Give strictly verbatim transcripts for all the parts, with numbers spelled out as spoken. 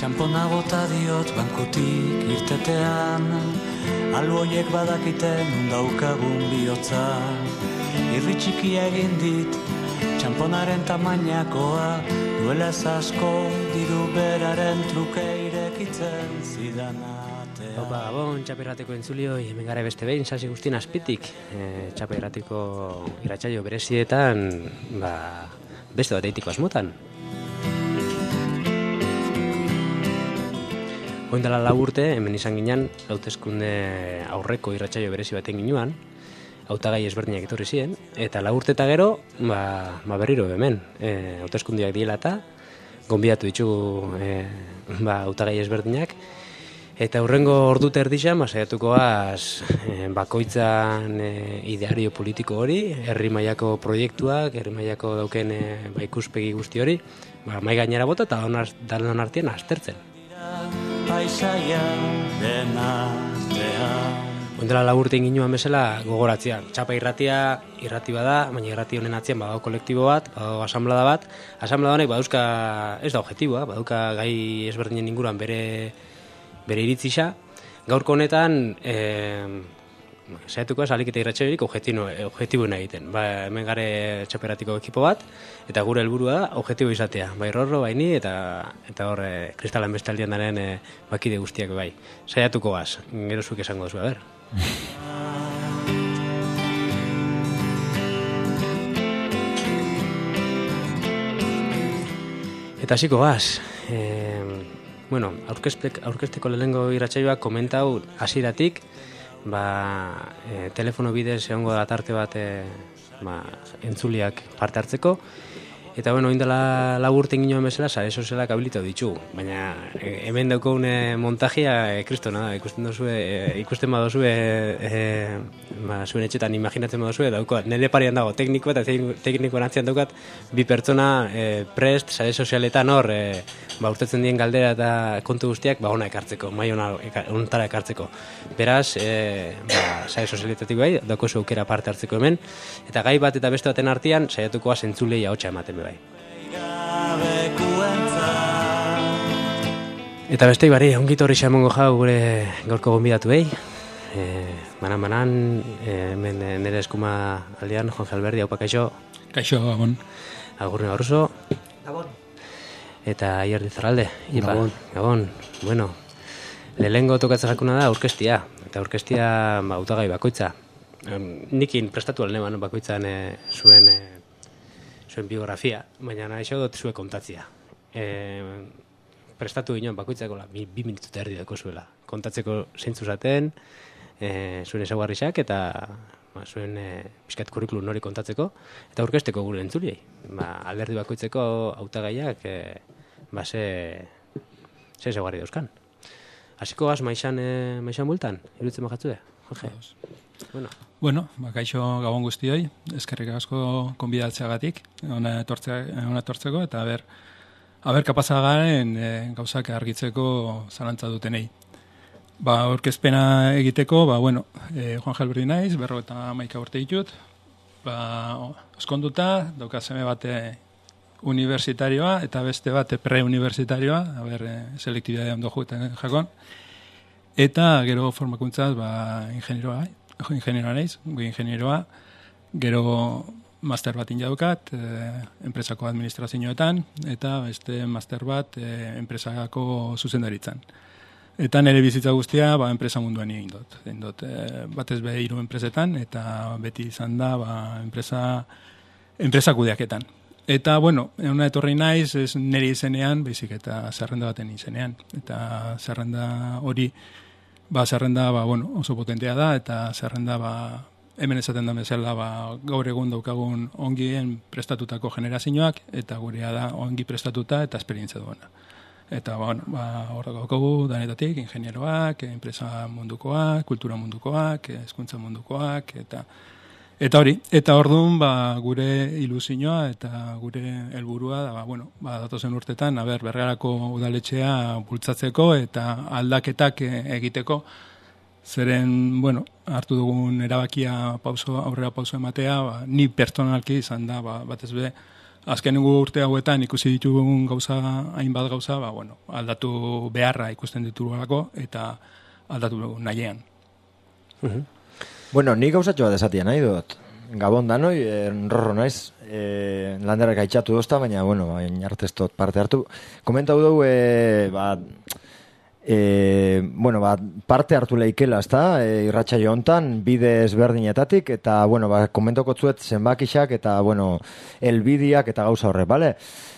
Txampona bota diot bankutik irtetean, alboiek badakiten undaukagun bihotza. Irri txikia egin dit, txamponaren tamainakoa, duela ez asko diru beraren truke irekitzen zidanatea. Opa, gabon, Txapa Irratiko entzulioi, hemen gara beste behin, sasi guztien azpitik. E, Txapa Irratiko irratsaio berezietan, ba, beste bat eitiko asmotan. Oin dela lau urte, hemen izan ginen, hauteskunde aurreko irratsaio berezi baten ginuan, hautagai ezberdinak etorri ziren, eta lau urte eta gero, ba, ba berriro hemen, e, hauteskundeak diela eta, gonbidatu ditugu e, ba, hautagai ezberdinak, eta hurrengo ordu terdixan, ba, saiatuko az, e, bakoitzan e, ideario politiko hori, herri mailako proiektuak, herri mailako dauken e, ba, ikuspegi guzti hori, ba, mai gainera bota eta danon artean aztertzen. Paisaia denartean. Ondela laburte inginuan bezala gogoratzea. Txapa irratia, irrati bada, baina irrati honen atzean badago kolektibo bat, badago asamblada bat. Asamblada honek baduzka, ez da objetiboa, badauka gai ezberdinen inguruan bere, bere iritzisa. Gaurko honetan, e, saiatuko ez alik eta irratxerik objetiboen egiten. Ba, hemen gare Txapa Irratiko ekipo bat, eta gure helburua da objetibo izatea. Bai Rorro, bai ni, eta, eta hor e, Kristalan bestaldian daren e, bakide guztiak bai. Saiatuko gaz, gero zuk esango duzu, a ber. Eta hasiko gaz, e, bueno, aurkezteko lehenengo irratsaioak komentau hasieratik, ba, e, telefono bidez egongo da tarte bat e, ba, entzuliak parte hartzeko, eta bueno, oindela lau urte ginoen bezala, sare sozialak habilitatu ditugu, baina e, hemen daukagun e, montajia e, kristona da, ikusten dozue, e, ikusten badozue, e, ba, zuen etxetan imaginatzen badozue, daukat, nire parean dago tekniko eta teknikoan atzean daukat, bi pertsona e, prest, sare sozialetan hor, e, ba, urtetzen dien galdera eta kontu guztiak, ba, ona ekartzeko, mai ona ontara ekartzeko. Beraz, e, ba, sare sozialetatik bai, daukozu aukera parte hartzeko hemen, eta gai bat eta beste baten artean, saiatuko zentzulei ahotsa ematen bai. Eta beste bari, ongito hori xamongo jau gure gaurko gonbidatu behi. E, banan banan, e, hemen nire eskuma aldean, Juan Alberdi, haupa kaixo. Kaixo, gabon. Agurne Barroso. Gabon. Eta Ier Dizarralde. Gabon. Gabon. Bueno, lehengo tokatzen jakuna da aurkestia. Eta aurkestia ba, hautagai bakoitza. Nikin prestatu alneban bakoitzan e, zuen... E, zuen biografia, baina nahi dut zuen kontatzia. E, prestatu ginoen bakoitzako la, bi, bi minutu eta erdi dako zuela. Kontatzeko zeintzu zaten, e, zuen ezaguarrizak eta ba, zuen e, pixkat kurrikulum hori kontatzeko, eta aurkezteko gure entzuliei. Ba, alderdi bakoitzeko hautagaiak e, ba, ze, ze ezaguarri dauzkan. Hasiko gaz maixan, e, maixan bultan, iruditzen bakatzue, Jorge? Bueno, bueno ba, kaixo gabon guztioi, eskerrik asko konbidatzeagatik, ona etortzeko, eta aber, aber kapasa garen e, gauzak argitzeko zalantza dutenei. Ba, aurkezpena egiteko, ba, bueno, e, Juan Alberdi naiz, berro eta hamaika urte ditut, ba, oskonduta, dauka seme bate universitarioa, eta beste bate pre-universitarioa, aber, e, selektibidadea ondo juetan jakon, eta gero formakuntzaz, ba, ingenieroa, ingenieroa naiz, goi ingenieroa, gero master bat indaukat, e, enpresako administrazioetan, eta beste master bat e, enpresako zuzendaritzan. Eta nire bizitza guztia, ba, enpresa munduan egin dut. Egin dut e, batez be hiru enpresetan, eta beti izan da, ba, enpresa, enpresa kudeaketan. Eta, bueno, una etorri naiz, ez nire izenean, baizik eta zerrenda baten izenean. Eta zerrenda hori, ba, zerrenda, ba, bueno, oso potentea da, eta zerrenda, ba, hemen esaten da bezala, ba, gaur egun daukagun ongien prestatutako generazioak, eta gurea da ongi prestatuta eta esperientzia duena. Eta, bueno, ba, hor daukagu danetatik, ingenieroak, enpresa mundukoak, kultura mundukoak, hezkuntza mundukoak, eta eta hori, eta orduan, ba, gure ilusioa eta gure helburua da, ba, bueno, ba, datozen urtetan, aber, Bergarako udaletxea bultzatzeko eta aldaketak egiteko, zeren, bueno, hartu dugun erabakia pauso, aurrera pauso ematea, ba, ni pertsonalki izan da, ba, batez be, azkenengo urte hauetan ikusi ditugun gauza, hainbat gauza, ba, bueno, aldatu beharra ikusten ditugulako eta aldatu nahiean. Uh-huh. Bueno, ni gauzatxo bat esatia nahi dut. Gabon danoi, enrorro naiz, e, landerrak aitxatu dozta, baina, bueno, bain artestot parte hartu. Komentau dugu, e, ba, e, bueno, ba, parte hartu leikela, ezta, e, irratsaio hontan, bide ezberdinetatik, eta, bueno, ba, komentokotzuet zenbakixak, eta, bueno, elbidiak eta gauza horre, bale?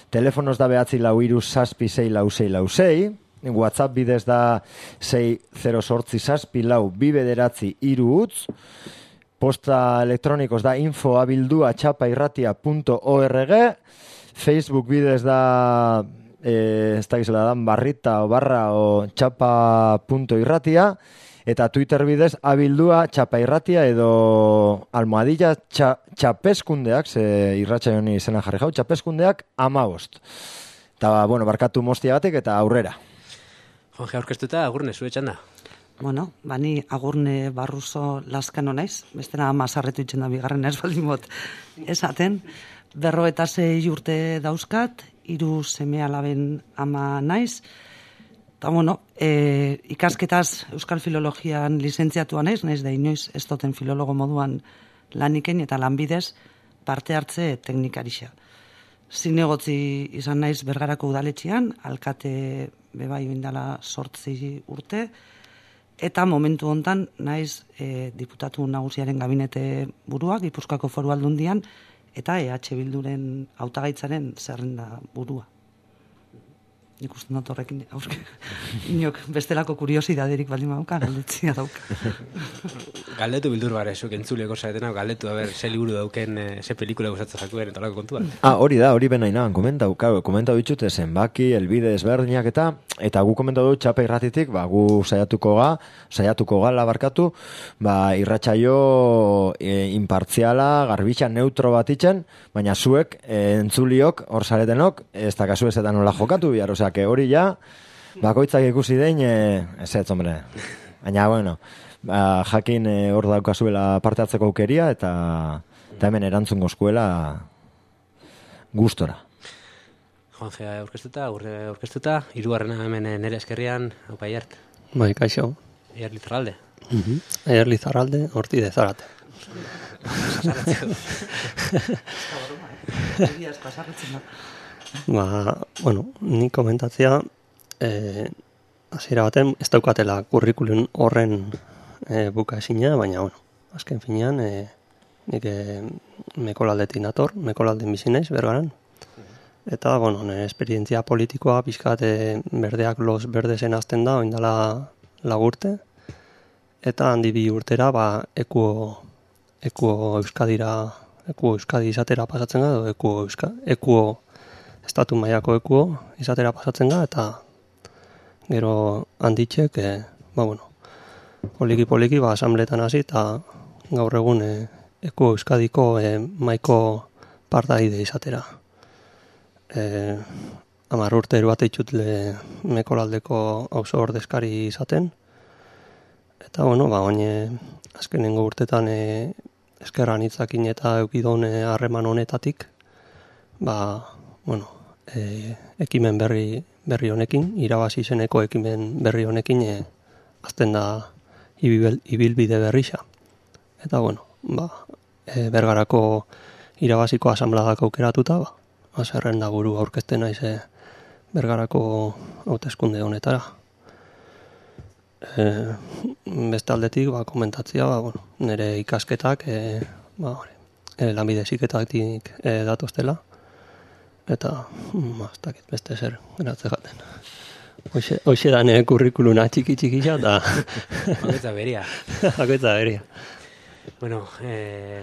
Telefonoz da behatzi lau iru zazpi sei lau sei lau sei, WhatsApp bidez da sei zero sortzi zazpi lau bi bederatzi iru utz, posta elektronikos da info abildua txapairratia punto org, Facebook bidez da, eh, ez da gizela dan, barrita o barra o txapa punto irratia, eta Twitter bidez abildua txapairratia edo almohadilla txa, txapeskundeak, ze irratxa joni izena jarri jau, txapeskundeak amabost. Eta, bueno, barkatu moztiagatik eta aurrera. Jonge aurkeztuta, agurne, zure txanda. Bueno, bani agurne barruzo laskano naiz, bestena mazarretu itxen da bigarren ez baldin bot esaten, berro eta zei urte dauzkat, hiru seme alaben ama naiz, eta bueno, e, ikasketaz Euskal Filologian lizentziatua naiz, naiz da inoiz ez doten filologo moduan laniken eta lanbidez parte hartze teknikarixa. Zinegotzi izan naiz Bergarako udaletxean, alkate bebai bindala sortzi urte, eta momentu hontan naiz e, diputatu nagusiaren gabinete burua, Gipuzkoako Foru Aldundian, eta E H Bilduren hautagaitzaren zerrenda burua. Nik uste dut horrekin, aurke, inok bestelako kuriosidaderik baldin badauka, galdetzia dauka. Galdetu bildur bare, zuk entzuleko zaretena, galdetu, a ber, ze liburu dauken, ze pelikula gustatzen zakuen, eta lako kontuan. Ah, hori da, hori benain nahan, komentau, komentau ditxute zenbaki, elbide ezberdinak eta, eta gu komentau dut txapa irratitik, ba, gu saiatuko ga, saiatuko gala barkatu, ba, irratsaio e, impartziala, garbitxa, neutro bat itxen, baina zuek, e, entzuliok, hor zaretenok, ez da kasu ezetan nola jokatu bihar, osea, que hori ja, bakoitzak ikusi dein, e, ez ez, hombre, baina, bueno, ba, jakin e, hor daukazuela parte hartzeko aukeria, eta, eta hemen erantzungo eskuela gustora. Juanje aurkeztuta, aurre aurkeztuta, hirugarrena hemen nere eskerrian, haupa Aiart. Bai, kaixo. Aiart Lizarralde. Uh-huh. Aiart Lizarralde, horti de Zarate. Ba, bueno, ni komentatzea, eh, hasiera baten, ez daukatela kurrikulun horren eh, buka esina, baina, bueno, azken finean, eh, nik eh, mekolaldetik nator, mekolalden bizi naiz, Bergaran. Eta, bueno, nire esperientzia politikoa, pixkat, eh, berdeak los berdesen azten da, oindala lagurte. Eta handi bi urtera, ba, ekuo, ekuo Euskadira, ekuo Euskadi izatera pasatzen da, edo ekuo, Euska, ekuo estatu mailako ekuo izatera pasatzen da, eta gero handitxek, e, ba, bueno, poliki-poliki, ba, asambletan hasi, eta gaur egun e, ekuo Euskadiko e, maiko partaide izatera. E, Amar urte eruate itxutle mekolaldeko auzo ordezkari izaten, eta, bueno, ba, oine, azkenengo urtetan e, eskerran hitzakin eta eukidon harreman honetatik, ba, bueno, e, ekimen berri, berri honekin, irabazi zeneko ekimen berri honekin, e, azten da ibil, ibilbide berrixa. Eta, bueno, ba, e, Bergarako irabaziko asambladak aukeratuta, ba, azerren da buru aurkezten naiz e, Bergarako hauteskunde honetara. E, beste aldetik, ba, komentatzia, ba, bueno, nire ikasketak, e, ba, e, lanbide heziketatik e, datoztela, eta, ba, ez dakit beste zer, geratze jaten. Hoxe, hoxe da nire kurrikuluna txiki-txikisa, eta... Hakoetza beria. Hakoetza beria. Bueno, eh,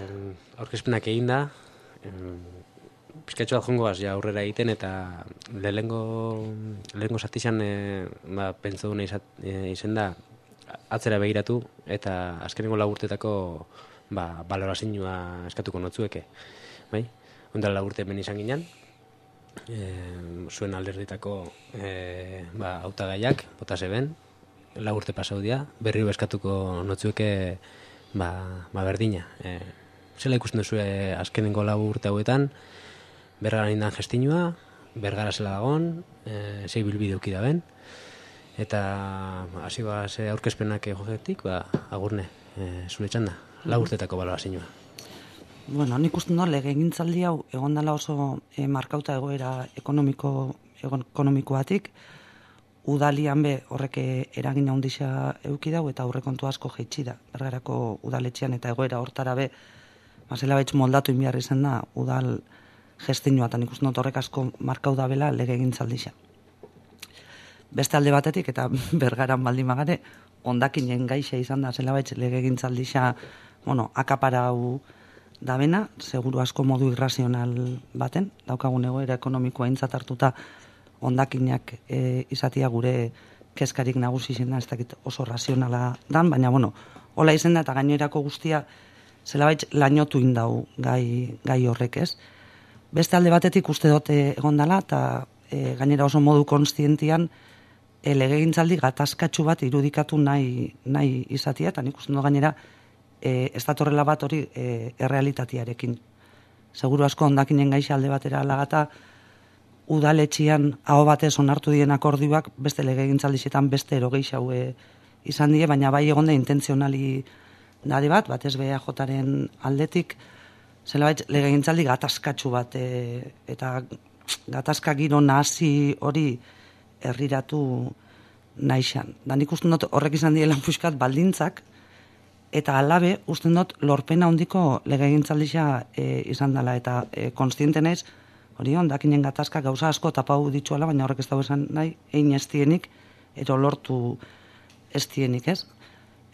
aurkezpenak egin da, eh, pizkatxo bat jongoaz ja aurrera egiten, eta lehengo lehengo zatizan e, ba, pentsa duna e, izen da atzera begiratu, eta azkenengo lagurtetako ba, balorazioa eskatuko notzueke. Bai? Ondala lagurte hemen izan ginen, e, zuen alderditako e, ba, hautagaiak, bota zeben, lagurte pasaudia, berri eskatuko notzueke ba, ba berdina. E, zela ikusten duzu azkenengo lagurte hauetan, Bergaran indan gestinua, Bergara zela dagon, e, zei bilbide uki da ben, eta hasi ba, ze aurkezpenak jogetik, ba, agurne, e, zure txanda, lau urtetako balorazioa. Bueno, nik uste no, legegintzaldi hau egon dela oso e, markauta egoera ekonomiko, ekonomikoatik, udalian be horrek eragin handia euki dau eta aurrekontu asko jaitsi da. Bergarako udaletxean eta egoera hortara be, mazela baitz moldatu inbiar izan da, udal gestinua, eta nik uste not horrek asko markau da bela legegintzaldia. Beste alde batetik, eta Bergaran baldin magare, ondakinen gaixa izan da, zela baitz legegintzaldia, bueno, akaparau da bena, seguru asko modu irrazional baten, daukagun egoera ekonomikoa aintzat hartuta ondakinak e, izatia gure kezkarik nagusi izan da, ez dakit oso razionala dan, baina, bueno, hola izan da, eta gainerako guztia zelabait lainotu indau gai, gai horrek ez. Beste alde batetik uste dote egon dela, eta e, gainera oso modu konstientian e, legegintzaldi gatazkatxu bat irudikatu nahi, nahi izatia, eta nik uste do gainera e, ez datorrela bat hori e, errealitatearekin. Seguru asko ondakinen gaixa alde batera alagata, udaletxian aho batez onartu dien akordioak beste legegintzaldixetan beste erogeixa haue izan die, baina bai egon da intentzionali dade bat, batez B E Jaren aldetik, zelabait legegintzaldi gatazkatxu bat e, eta gatazka giro nahasi hori herriratu naixan. Da nik usten dut horrek izan diela puskat baldintzak, eta alabe usten dut lorpena handiko legegintzaldia e, izan dela, eta e, konstiente naiz, hori ondakinen gatazka gauza asko tapau dituela, baina horrek ez dago esan nahi, egin ez dienik, ero lortu ez dienik, ez?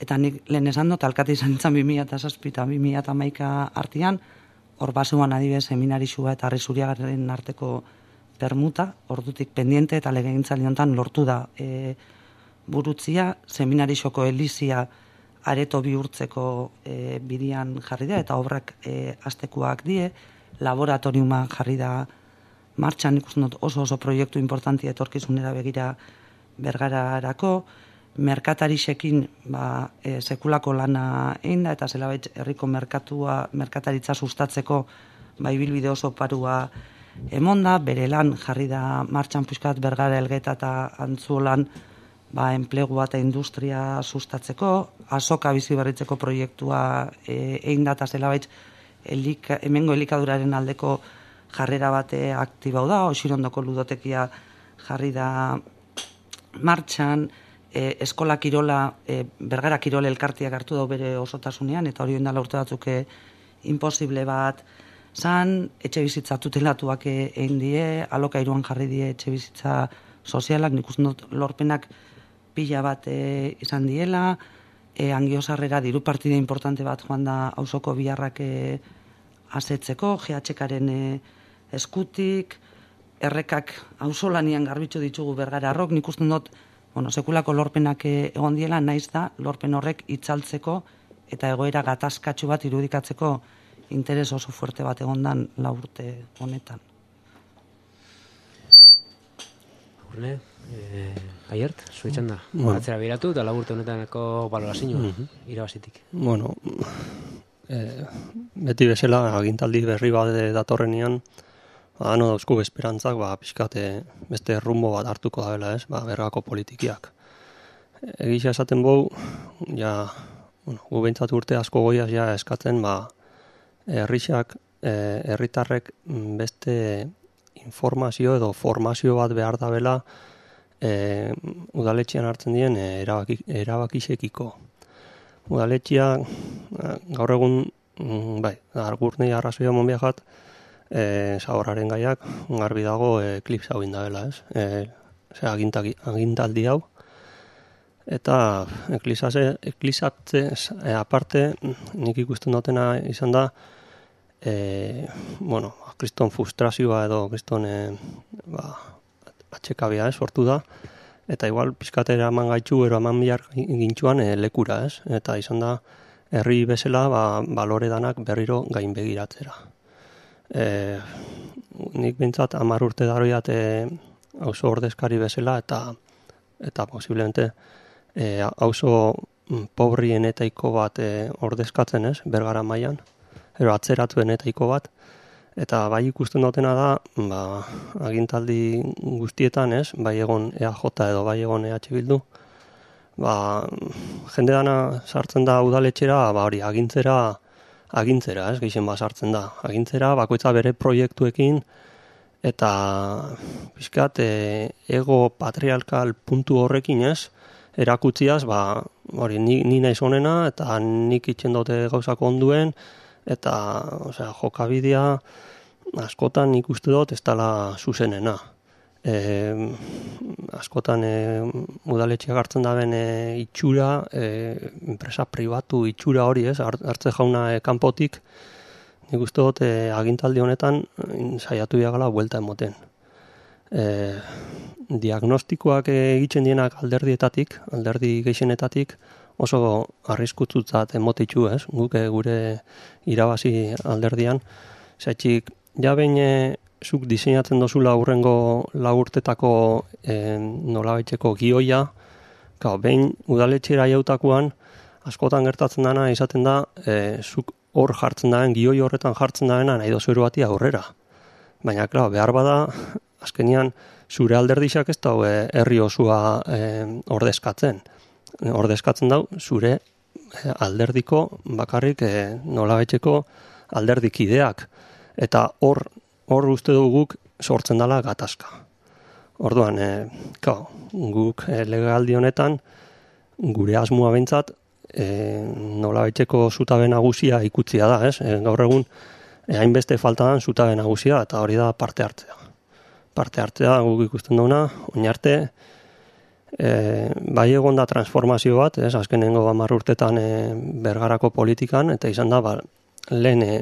Eta nik lehen esan dut, alkate izan nintzen bi mila zazpi eta bi mila hamaika artean, hor basean adibidez seminarisua eta Arrizuriagaren arteko permuta, ordutik pendiente eta legegintzaldi honetan lortu da e, burutzia, seminarisoko elizia areto bihurtzeko e, bidian jarri da, eta obrak e, astekuak die, laboratoriuma jarri da martxan, ikusten dut oso oso proiektu importantia etorkizunera begira Bergararako, merkatarixekin ba, e, sekulako lana egin da, eta zelabait herriko merkatua, merkataritza sustatzeko ba, ibilbide oso parua emonda, bere lan jarri da martxan puskat Bergara Elgeta eta Antzuolan ba, enplegua eta industria sustatzeko, azoka bizi berritzeko proiektua e, egin da, eta zelabait elika, hemengo elikaduraren aldeko jarrera bate aktibau da, Osirondoko ludotekia jarri da martxan, e, eskola kirola, e, Bergara kirole elkartiak hartu dau bere osotasunean, eta hori ondala urte batzuk imposible bat zan, etxe bizitza tutelatuak egin die, alokairuan jarri die etxe bizitza sozialak, nik uste dut lorpenak pila bat e, izan diela, e, Angiosarrera diru partide importante bat joan da auzoko biharrak e, asetzeko, G H Karen e, eskutik, errekak auzolanian garbitzu ditugu Bergararrok, nik uste dut, bueno, sekulako lorpenak egon diela, naiz da, lorpen horrek itzaltzeko eta egoera gatazkatxu bat irudikatzeko interes oso fuerte bat egondan lau urte honetan. Urne, eh, aiert, zuetzen da. Bueno. Atzera biratu eta lau urte honetaneko balorazioa, Mhm. irabazitik. Bueno, e, beti bezala agintaldi berri bat datorrenean, ba, no dauzku esperantzak, ba, pixkate beste rumbo bat hartuko da bela, ez, ba, Bergako politikiak. Egisa esaten bau, ja, bueno, gu behintzat urte asko goiaz ja eskatzen, ba, herrixak, e, herritarrek beste informazio edo formazio bat behar da bela, e, udaletxean hartzen dien e, erabaki, erabakixekiko. Udaletxea, gaur egun, bai, argurnei arrazoia monbiakat, e, zaborraren gaiak, garbi dago e, klips hau indabela, ez? E, Zer, agintaldi hau. Eta eklizatze e, aparte, nik ikusten dutena izan da, e, bueno, kriston frustrazioa edo kriston e, ba, atxekabia, ez, sortu da. Eta igual pizkatera eman gaitxu, ero eman bihar gintxuan e, lekura, ez? Eta izan da, herri bezala, ba, balore danak berriro gain begiratzera. E, nik bintzat, hamar urte daroiat e, auzo ordezkari bezala, eta eta posiblemente e, auzo pobrienetaiko bat e, ordezkatzen, ez? Bergara mailan, ero atzeratuen etaiko bat, Eta bai ikusten dutena da, ba, agintaldi guztietan, ez, bai egon E A J edo bai egon E H Bildu, ba, jende dana sartzen da udaletxera, ba hori, agintzera, agintzera, ez, gehien bat sartzen da. Agintzera, bakoitza bere proiektuekin, eta pixkat, e, ego patriarkal puntu horrekin, ez, erakutziaz, ba, hori, ni, ni naiz honena, eta nik itxen dute gauzako onduen, eta, osea, jokabidea, askotan ikuste dut ez dela zuzenena. E, askotan e, udaletxeak hartzen daben e, itxura, e, enpresa pribatu itxura hori, ez, hartze jauna e, kanpotik, nik uste dut e, agintaldi honetan saiatu diagala buelta emoten. E, diagnostikoak egiten dienak alderdietatik, alderdi gehixenetatik, oso arriskutzutzat emotitxu, ez, guk e, gure irabazi alderdian, zaitxik, ja behin e, zuk diseinatzen dozula aurrengo lau urtetako e, nolabaiteko gioia, gau, behin udaletxera jautakoan, askotan gertatzen dana izaten da, e, zuk hor jartzen daen, gioi horretan jartzen daena nahi dozu bati aurrera. Baina, klar, behar bada, azkenian, zure alderdixak ez dau e, herri osua e, ordezkatzen. Ordezkatzen dau, zure e, alderdiko bakarrik e, nolabaiteko alderdikideak. Eta hor, hor uste duguk sortzen dela gatazka. Orduan, e, kao, guk e, legealdi honetan, gure asmoa behintzat, e, nolabaiteko zutabe nagusia ikutzia da, ez? E, gaur egun, e, hainbeste falta dan zutabe nagusia, eta hori da parte hartzea. Parte hartzea guk ikusten duguna, oinarte, e, bai egon da transformazio bat, ez? Azkenengo hamar urtetan e, Bergarako politikan, eta izan da, ba, lehen e,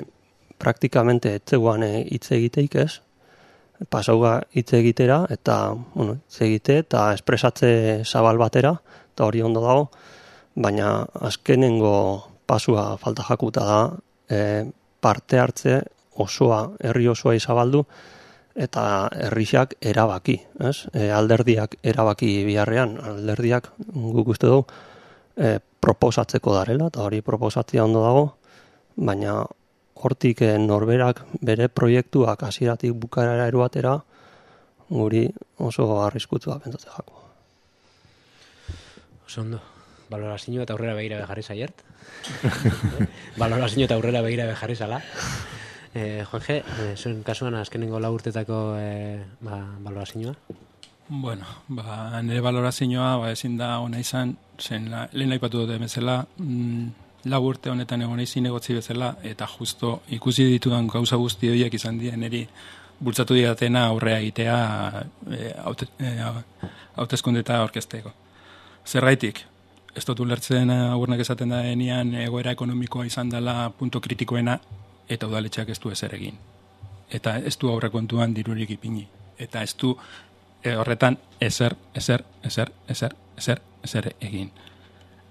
praktikamente etzeguan hitz egiteik, ez? Pasauga hitz egitera, eta, bueno, hitz egite, eta espresatze zabal batera, eta hori ondo dago, baina azkenengo pasua falta jakuta da, e, parte hartze osoa, herri osoa izabaldu, eta herrixak erabaki, ez? E, alderdiak erabaki biharrean, alderdiak guk uste dugu, e, proposatzeko darela, eta hori proposatzea ondo dago, baina hortik norberak bere proiektuak hasieratik bukaerara eruatera, guri oso arriskutsua pentsatzen jako. Oso ondo. Balorazio eta aurrera begira bejarri zaiert. Balorazio eta aurrera begira bejarri zala. Eh, Juanje, eh, zuen kasuan azkenengo lau urtetako eh, ba, balorazioa? Bueno, ba, nire balorazioa ba, ezin da ona izan, zen la, lehen aipatu dute bezala, mm, lau urte honetan egon izin egotzi bezala, eta justo ikusi ditudan gauza guzti horiek izan dien eri bultzatu didatena aurrea egitea e, hauteskundeta orkesteko. Zergaitik, ez dut ulertzen agurnak esaten da denean egoera ekonomikoa izan dela punto kritikoena, eta udaletxeak ez du ezer egin. Eta ez du aurrekontuan dirurik ipini. Eta ez du e, horretan ezer, ezer, ezer, ezer, ezer, ezer egin.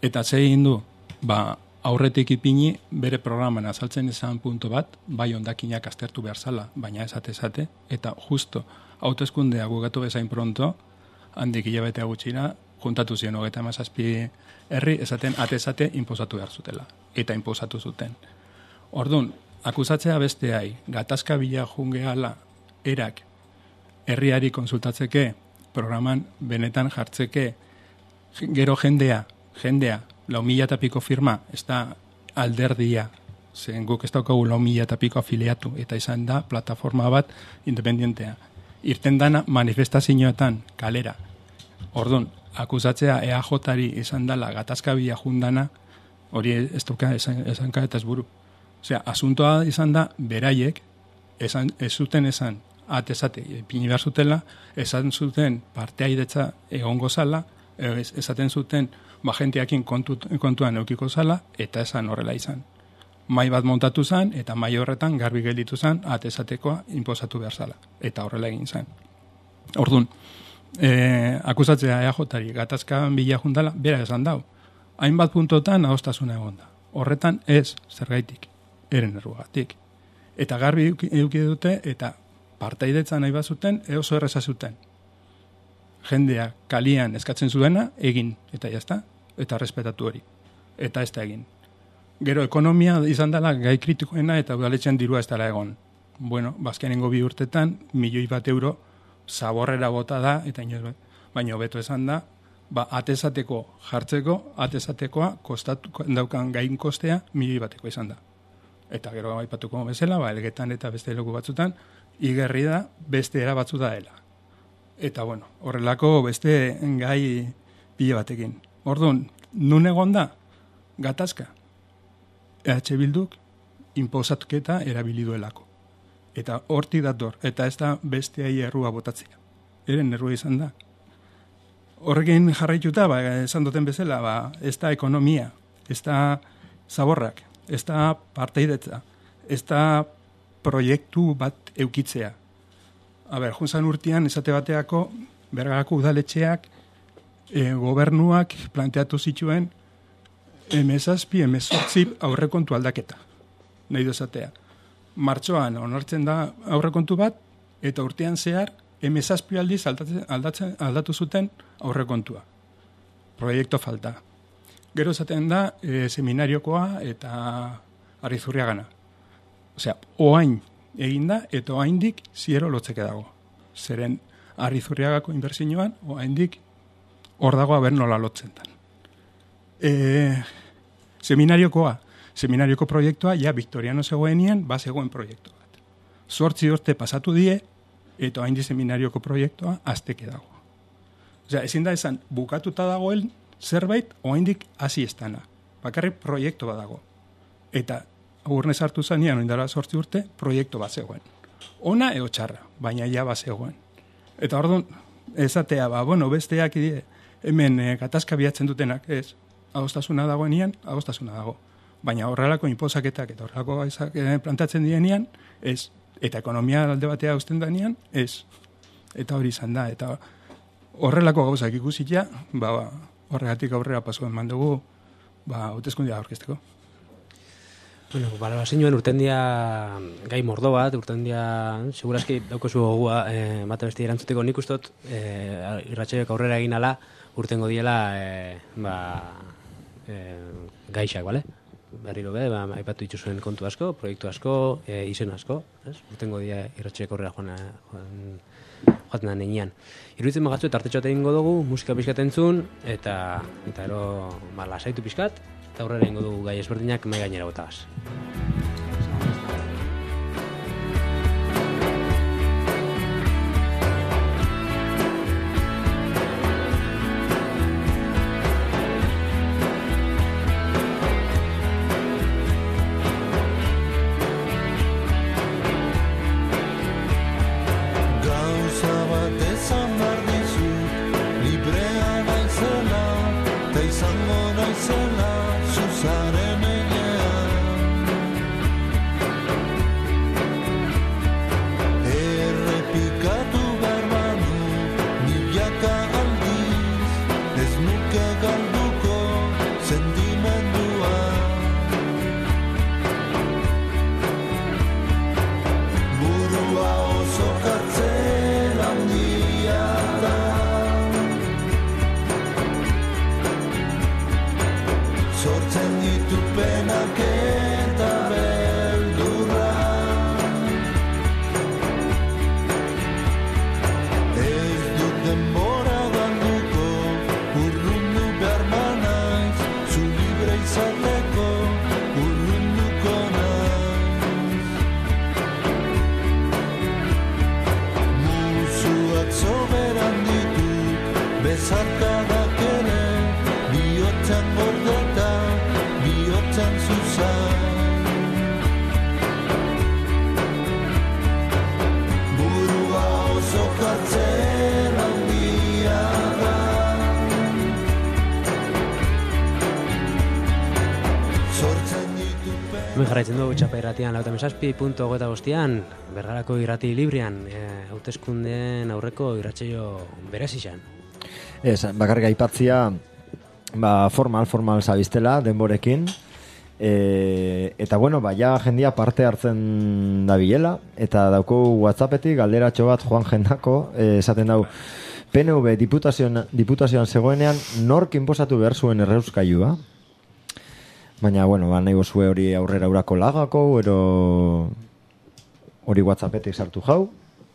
Eta ze egin du, ba, aurretik ipini bere programan azaltzen izan punto bat, bai ondakinak aztertu behar zala, baina esate-esate, eta justo hauteskundea gugatu bezain pronto, handik hilabetea gutxira, juntatu ziren hogeita hamazazpi herri, esaten ate-esate inposatu behar zutela, eta inposatu zuten. Orduan, akusatzea besteai, gatazka bila jungeala erak herriari konsultatzeke, programan benetan jartzeke, gero jendea, jendea, lau mila eta piko firma, ez da alderdia, zen guk ez daukagu lau mila eta piko afiliatu, eta izan da plataforma bat independentea. Irten dana manifestazioetan, kalera. Orduan, akusatzea E A J-ari izan dela gatazkabila jundana, hori ez duka esan, esanka eta ez buru. Osea, asuntoa izan da, beraiek, esan, ez zuten esan, atezate, pini behar zutela, esan zuten parteaidetza egongo zala, esaten zuten, ba, jenteakin kontu, kontuan eukiko zala, eta esan horrela izan. Mai bat montatu zen, eta mai horretan garbi gelditu zen, atezatekoa inposatu behar zala. Eta horrela egin zen. Orduan, e, akusatzea E A J-ari gatazkan bila jundala, bera esan dau. Hainbat puntotan adostasuna egon da. Horretan ez, zergaitik, eren errugatik. Eta garbi eduki dute, eta partaidetza nahi bat zuten, oso erreza zuten. Jendea kalian eskatzen zuena, egin, eta jazta, eta respetatu hori. Eta ez da egin. Gero ekonomia izan dela gai kritikoena, eta udaletxean dirua ez dela egon. bueno, bazkenengo bi urtetan, milioi bat euro zaborrera bota da, eta inoz, baina beto esan da, ba, atezateko jartzeko, atezatekoa kostatu, daukan gain kostea milioi bateko izan da. Eta gero aipatuko bezala, ba, elgetan eta beste leku batzutan, igerri da beste era batzu da dela. Eta, bueno, horrelako beste gai pile batekin. Orduan, nun egon da, gatazka. E H Bilduk inposatuketa erabili duelako. Eta horti dator, eta ez da besteai errua botatzea. Eren errua izan da. Horrekin jarraituta, ba, esan duten bezala, ba, ez da ekonomia, ez da zaborrak, ez da parteidetza, ez da proiektu bat eukitzea. A ber, junzan urtean, esate bateako, Bergarako udaletxeak, e, gobernuak planteatu zituen emezazpi, emezortzi aurrekontu aldaketa. Nahi dozatea. Martxoan onartzen da aurrekontu bat, eta urtean zehar, emezazpi aldiz aldatzen, aldatzen, aldatu zuten aurrekontua. Proiektu falta. Gero esaten da, e, seminariokoa eta Arrizurriagana. Osea, oain eginda, eta oaindik ziero lotzeke dago. Zeren Arrizurriagako inbertsioan, oaindik hor dago aber nola lotzen dan. E, seminariokoa, seminarioko proiektua, ja, Victoriano zegoenien, ba zegoen proiektu bat. Zortzi urte pasatu die, eta hain di seminarioko proiektua azteke dago. Osea, ezin da esan, bukatuta dagoen zerbait, oaindik hasi estana. Bakarrik proiektu bat dago. Eta agurnez hartu zanean, oindara zortzi urte, proiektu bat zegoen. Ona eo txarra, baina ja bat zegoen. Eta orduan, ezatea, ba, bueno, besteak die, hemen e, gatazka bilatzen dutenak, ez, adostasuna dagoenean, adostasuna dago. Baina horrelako inposaketak eta horrelako gaizak plantatzen dienean, ez. Eta ekonomia alde batea uzten danean, ez. Eta hori izan da. Eta horrelako gauzak ikusitia, ba, ba, horregatik aurrera pasuen mandugu, ba, hauteskundia aurkezteko. Bueno, balorazioen urtendia gai mordo bat, urtendia segurazki daukozu gogua eh, mate besti erantzuteko nik ustot eh, irratsaioak aurrera egin ala urtengo diela eh, ba, eh, gaixak, bale? Berriro be, ba, aipatu dituzuen kontu asko, proiektu asko, e, izen asko, ez? Urtengo dia irratsaioak aurrera joan joaten da nenean. Iruditzen magatzu eta artetxoat egingo dugu, musika pixkat entzun, eta eta ero ba, lasaitu pixkat, eta aurrera egingo dugu gai ezberdinak mai gainera botagaz. Jarraitzen dugu txapa irratian lauta mesazpi punto gota bostian, Bergarako irrati librian, hauteskundeen e, aurreko irratsaio berezizan. Ez, bakarrik aipatzia, ba, formal, formal zabiztela, denborekin, e, eta bueno, ba, ja jendia parte hartzen da bilela, eta dauko WhatsAppetik galderatxo bat Juan Jendako, e, esaten dau, P N V diputazioan, diputazioan zegoenean, nork inposatu behar zuen erreuskailua? Baina, bueno, ba, nahi bozue hori aurrera urako lagako, ero hori WhatsAppetik sartu jau,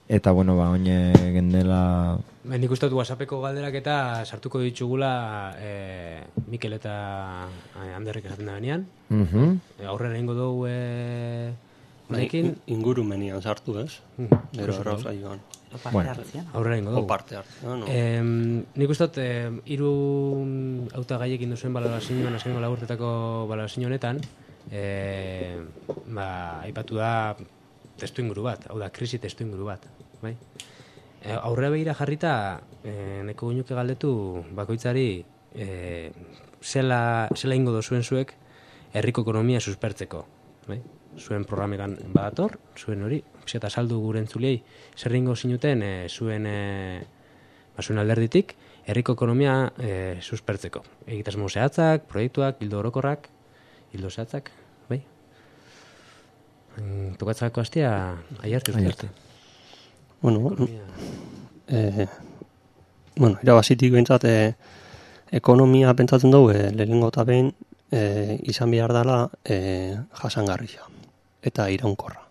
eta bueno, ba, oine gendela... Ben, nik uste dut WhatsAppeko galderak eta sartuko ditugula e, Mikel eta Anderrek esaten da benean. Uh-huh. E, aurrera ingo dugu e, honekin. Ingurumenian sartu, ez? Uh-huh. Gero errauz aioan. Bueno, aurrera ingo dugu. O parte hartzean. No? E, nik uste dut, e, iru auta gaiekin duzuen balorazioan, azkengo lagurtetako balorazio honetan, e, ba, aipatu da testu inguru bat, hau da, krisi testu inguru bat, bai? E, aurrera behira jarrita, e, neko guinuke galdetu bakoitzari e, zela, zela ingo dozuen zuek herriko ekonomia suspertzeko, bai? Zuen programekan badator, zuen hori, eta saldu gure entzuliei, zer ingo zinuten e, zuen, e, ba, zuen alderditik, herriko ekonomia e, suspertzeko. Egitasmo zehatzak, proiektuak, hildo orokorrak, hildo zehatzak, bai? Tokatzako hastia aiarte uste. Bueno, eh, bueno, irabazitik behintzat eh, ekonomia pentsatzen dugu eh, lehenengo eta behin eh, izan behar dela eh, jasangarria eta iraunkorra.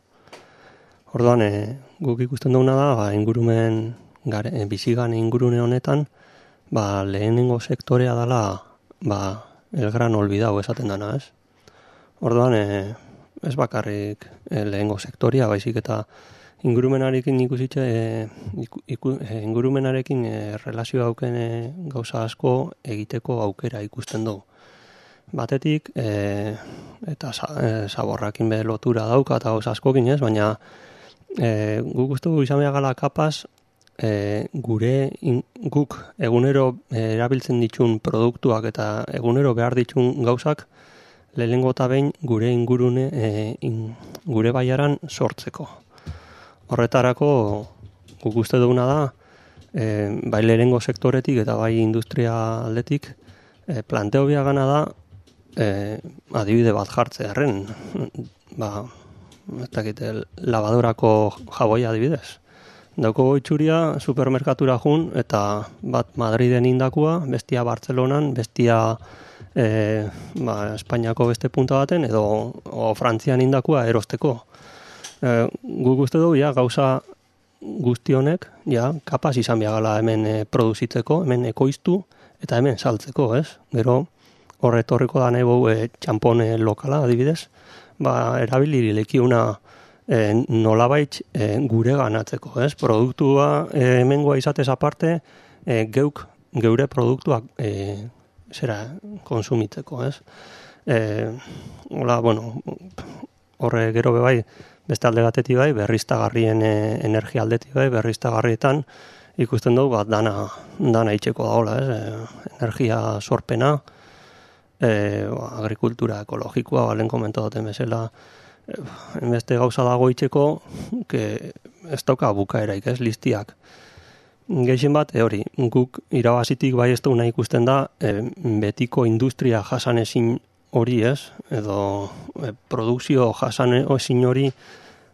Orduan, eh, guk ikusten duguna da, ba, ingurumen, gare, eh, bizigan ingurune honetan, ba, lehenengo sektorea dela ba, el gran olvidau esaten dana, ez? Orduan, eh, ez bakarrik eh, lehengo sektoria, baizik eta ingurumenarekin ikusitxe, eh, iku, iku, eh, ingurumenarekin eh, relazio hauken eh, gauza asko egiteko aukera ikusten dugu. Batetik, eh, eta eh, zaborrakin be lotura dauka eta gauza askokin ez, baina eh, guk uste dugu izan behar gala kapaz, eh, gure in, guk egunero eh, erabiltzen ditun produktuak eta egunero behar ditun gauzak, lehenengo eta behin gure ingurune, e, in, gure baiaran sortzeko. Horretarako guk uste duguna da, e, bai lehenengo sektoretik eta bai industria aldetik, e, planteo biagana da, e, adibide bat jartze erren, ba, ez dakit, lavadorako jaboia adibidez. Dauko itxuria supermerkatura jun, eta bat Madriden indakua, bestia Bartzelonan, bestia E, ba, Espainiako beste punta baten edo o Frantzian indakua erosteko. E, guk uste dugu, ja, gauza guzti honek, ja, kapaz izan biagala hemen e, produzitzeko, hemen ekoiztu eta hemen saltzeko, ez? Gero, horretorriko da nahi bau e, txampone lokala, adibidez, ba, erabili lekiuna e, nolabait e, gure ganatzeko, ez? Produktua e, hemengoa izatez aparte, e, geuk, geure produktuak e, zera konsumitzeko, ez? Eh, hola, bueno, horre gero bebai, beste alde batetik bai, berriztagarrien e, energia aldetik bai, berriztagarrietan ikusten dugu bat dana, dana itxeko da hola, ez? E, energia sorpena, e, agrikultura ekologikoa, balen komentu duten bezala, e, beste gauza dago itxeko, que ez dauka bukaeraik, ez? Listiak. Geixen bat, e, hori, guk irabazitik bai ez duguna ikusten da, e, betiko industria jasanezin hori ez, edo e, produkzio jasanezin hori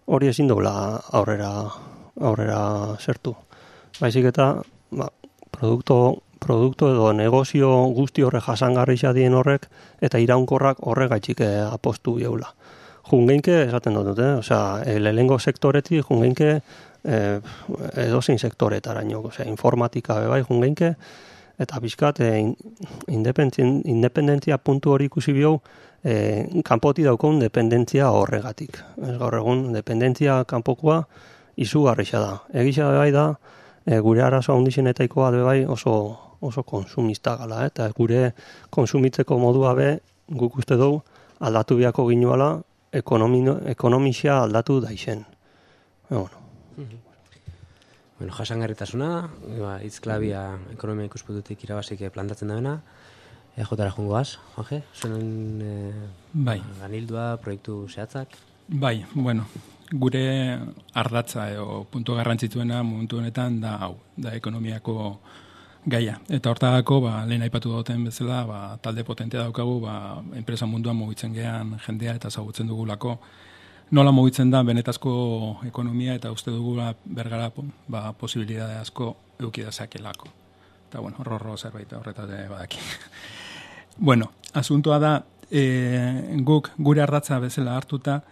hori ezin dola aurrera, aurrera zertu. Baizik eta, ba, produkto, produkto edo negozio guzti horre jasangarri dien horrek, eta iraunkorrak horregaitxik e, apostu geula. Jungeinke, esaten dut, eh? Osea, e, lehengo sektoretik jungeinke, Eh, edozein sektoretaraino, osea, informatika bebai jungeinke, eta bizkat eh, independentzia puntu hori ikusi biau, eh, kanpoti daukon dependentzia horregatik. Ez gaur egun, dependentzia kanpokoa izugarrixa da. Egisa bebai da, eh, gure arazoa hundizenetaikoa bebai oso, oso konsumista gala, eh? Eta gure konsumitzeko modua be, guk uste dugu, aldatu biako ginuala, ekonomisia aldatu daixen. E, bueno. Bueno, jasangarritasuna, ba, itzklabia ekonomia ikuspututik irabazik plantatzen da bena, E J-ra jungoaz, Juanje, zuen e, bai. Ganildua, proiektu zehatzak? Bai, bueno, gure ardatza edo puntu garrantzitsuena momentu honetan da hau, da ekonomiako gaia. Eta hortagako, ba, lehen aipatu duten bezala, ba, talde potentea daukagu, ba, enpresa munduan mugitzen gean jendea eta zagutzen dugulako, nola mugitzen da benetazko ekonomia eta uste dugula bergara ba, posibilidade asko eukidazakelako. Eta, bueno, horro zerbait horretate badaki. Bueno, asuntoa da, e, guk gure ardatza bezala hartuta,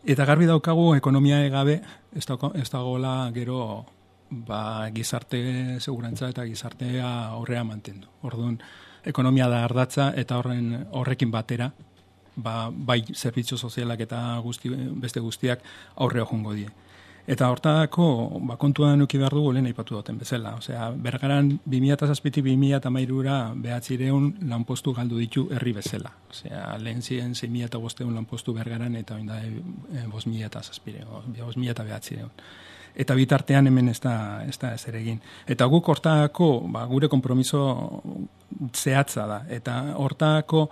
Eta garbi daukagu ekonomia gabe ez dago, ez dagoela gero ba, gizarte segurantza eta gizartea aurrea mantendu. Orduan, ekonomia da ardatza eta horren horrekin batera ba, bai zerbitzu sozialak eta guzti, beste guztiak aurrea joango die. Eta hortako ba, kontuan eduki behar dugu lehen aipatu duten bezala. Osea, Bergaran bi mila zazpitik bi mila hamairura behatzireun lanpostu galdu ditu herri bezala. Osea, lehen ziren sei mila bostehun lanpostu Bergaran eta oin da bost mila zazpireun, bost mila behatzireun. Eta bitartean hemen ez da, ez da ezer egin. Eta guk hortako ba, gure konpromiso zehatza da. Eta hortako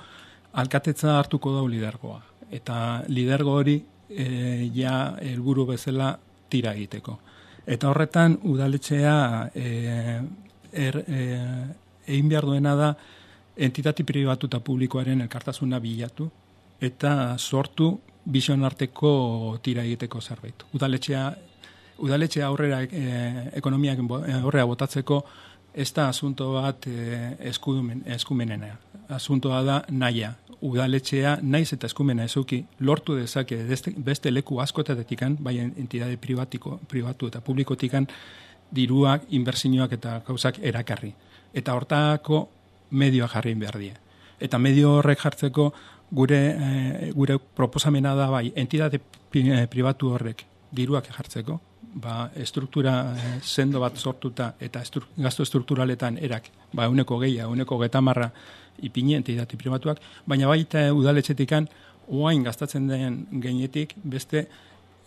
alkatetza hartuko dau lidergoa. Eta lidergo hori e, ja helburu bezala tira egiteko. Eta horretan udaletxea e, er, e, egin behar duena da entitati pribatu eta publikoaren elkartasuna bilatu eta sortu bizion arteko tira egiteko zerbait. Udaletxea, udaletxea aurrera e, ekonomiak aurrera botatzeko ez da asunto bat e, eskumen, eskumenena. Asuntoa da naia. Udaletxea naiz eta eskumena ezuki lortu dezake beste, beste leku askotatikan, bai entidade privatiko, pribatu eta publikotikan diruak, inbertsioak eta gauzak erakarri. Eta hortako medioa jarri behar die. Eta medio horrek jartzeko gure, e, gure proposamena da bai entidade pribatu horrek diruak jartzeko, ba, struktura eh, sendo bat sortuta eta estru, gasto strukturaletan erak, ba, euneko geia, euneko getamarra ipini entidati pribatuak, baina baita udaletxetikan oain gastatzen den gainetik beste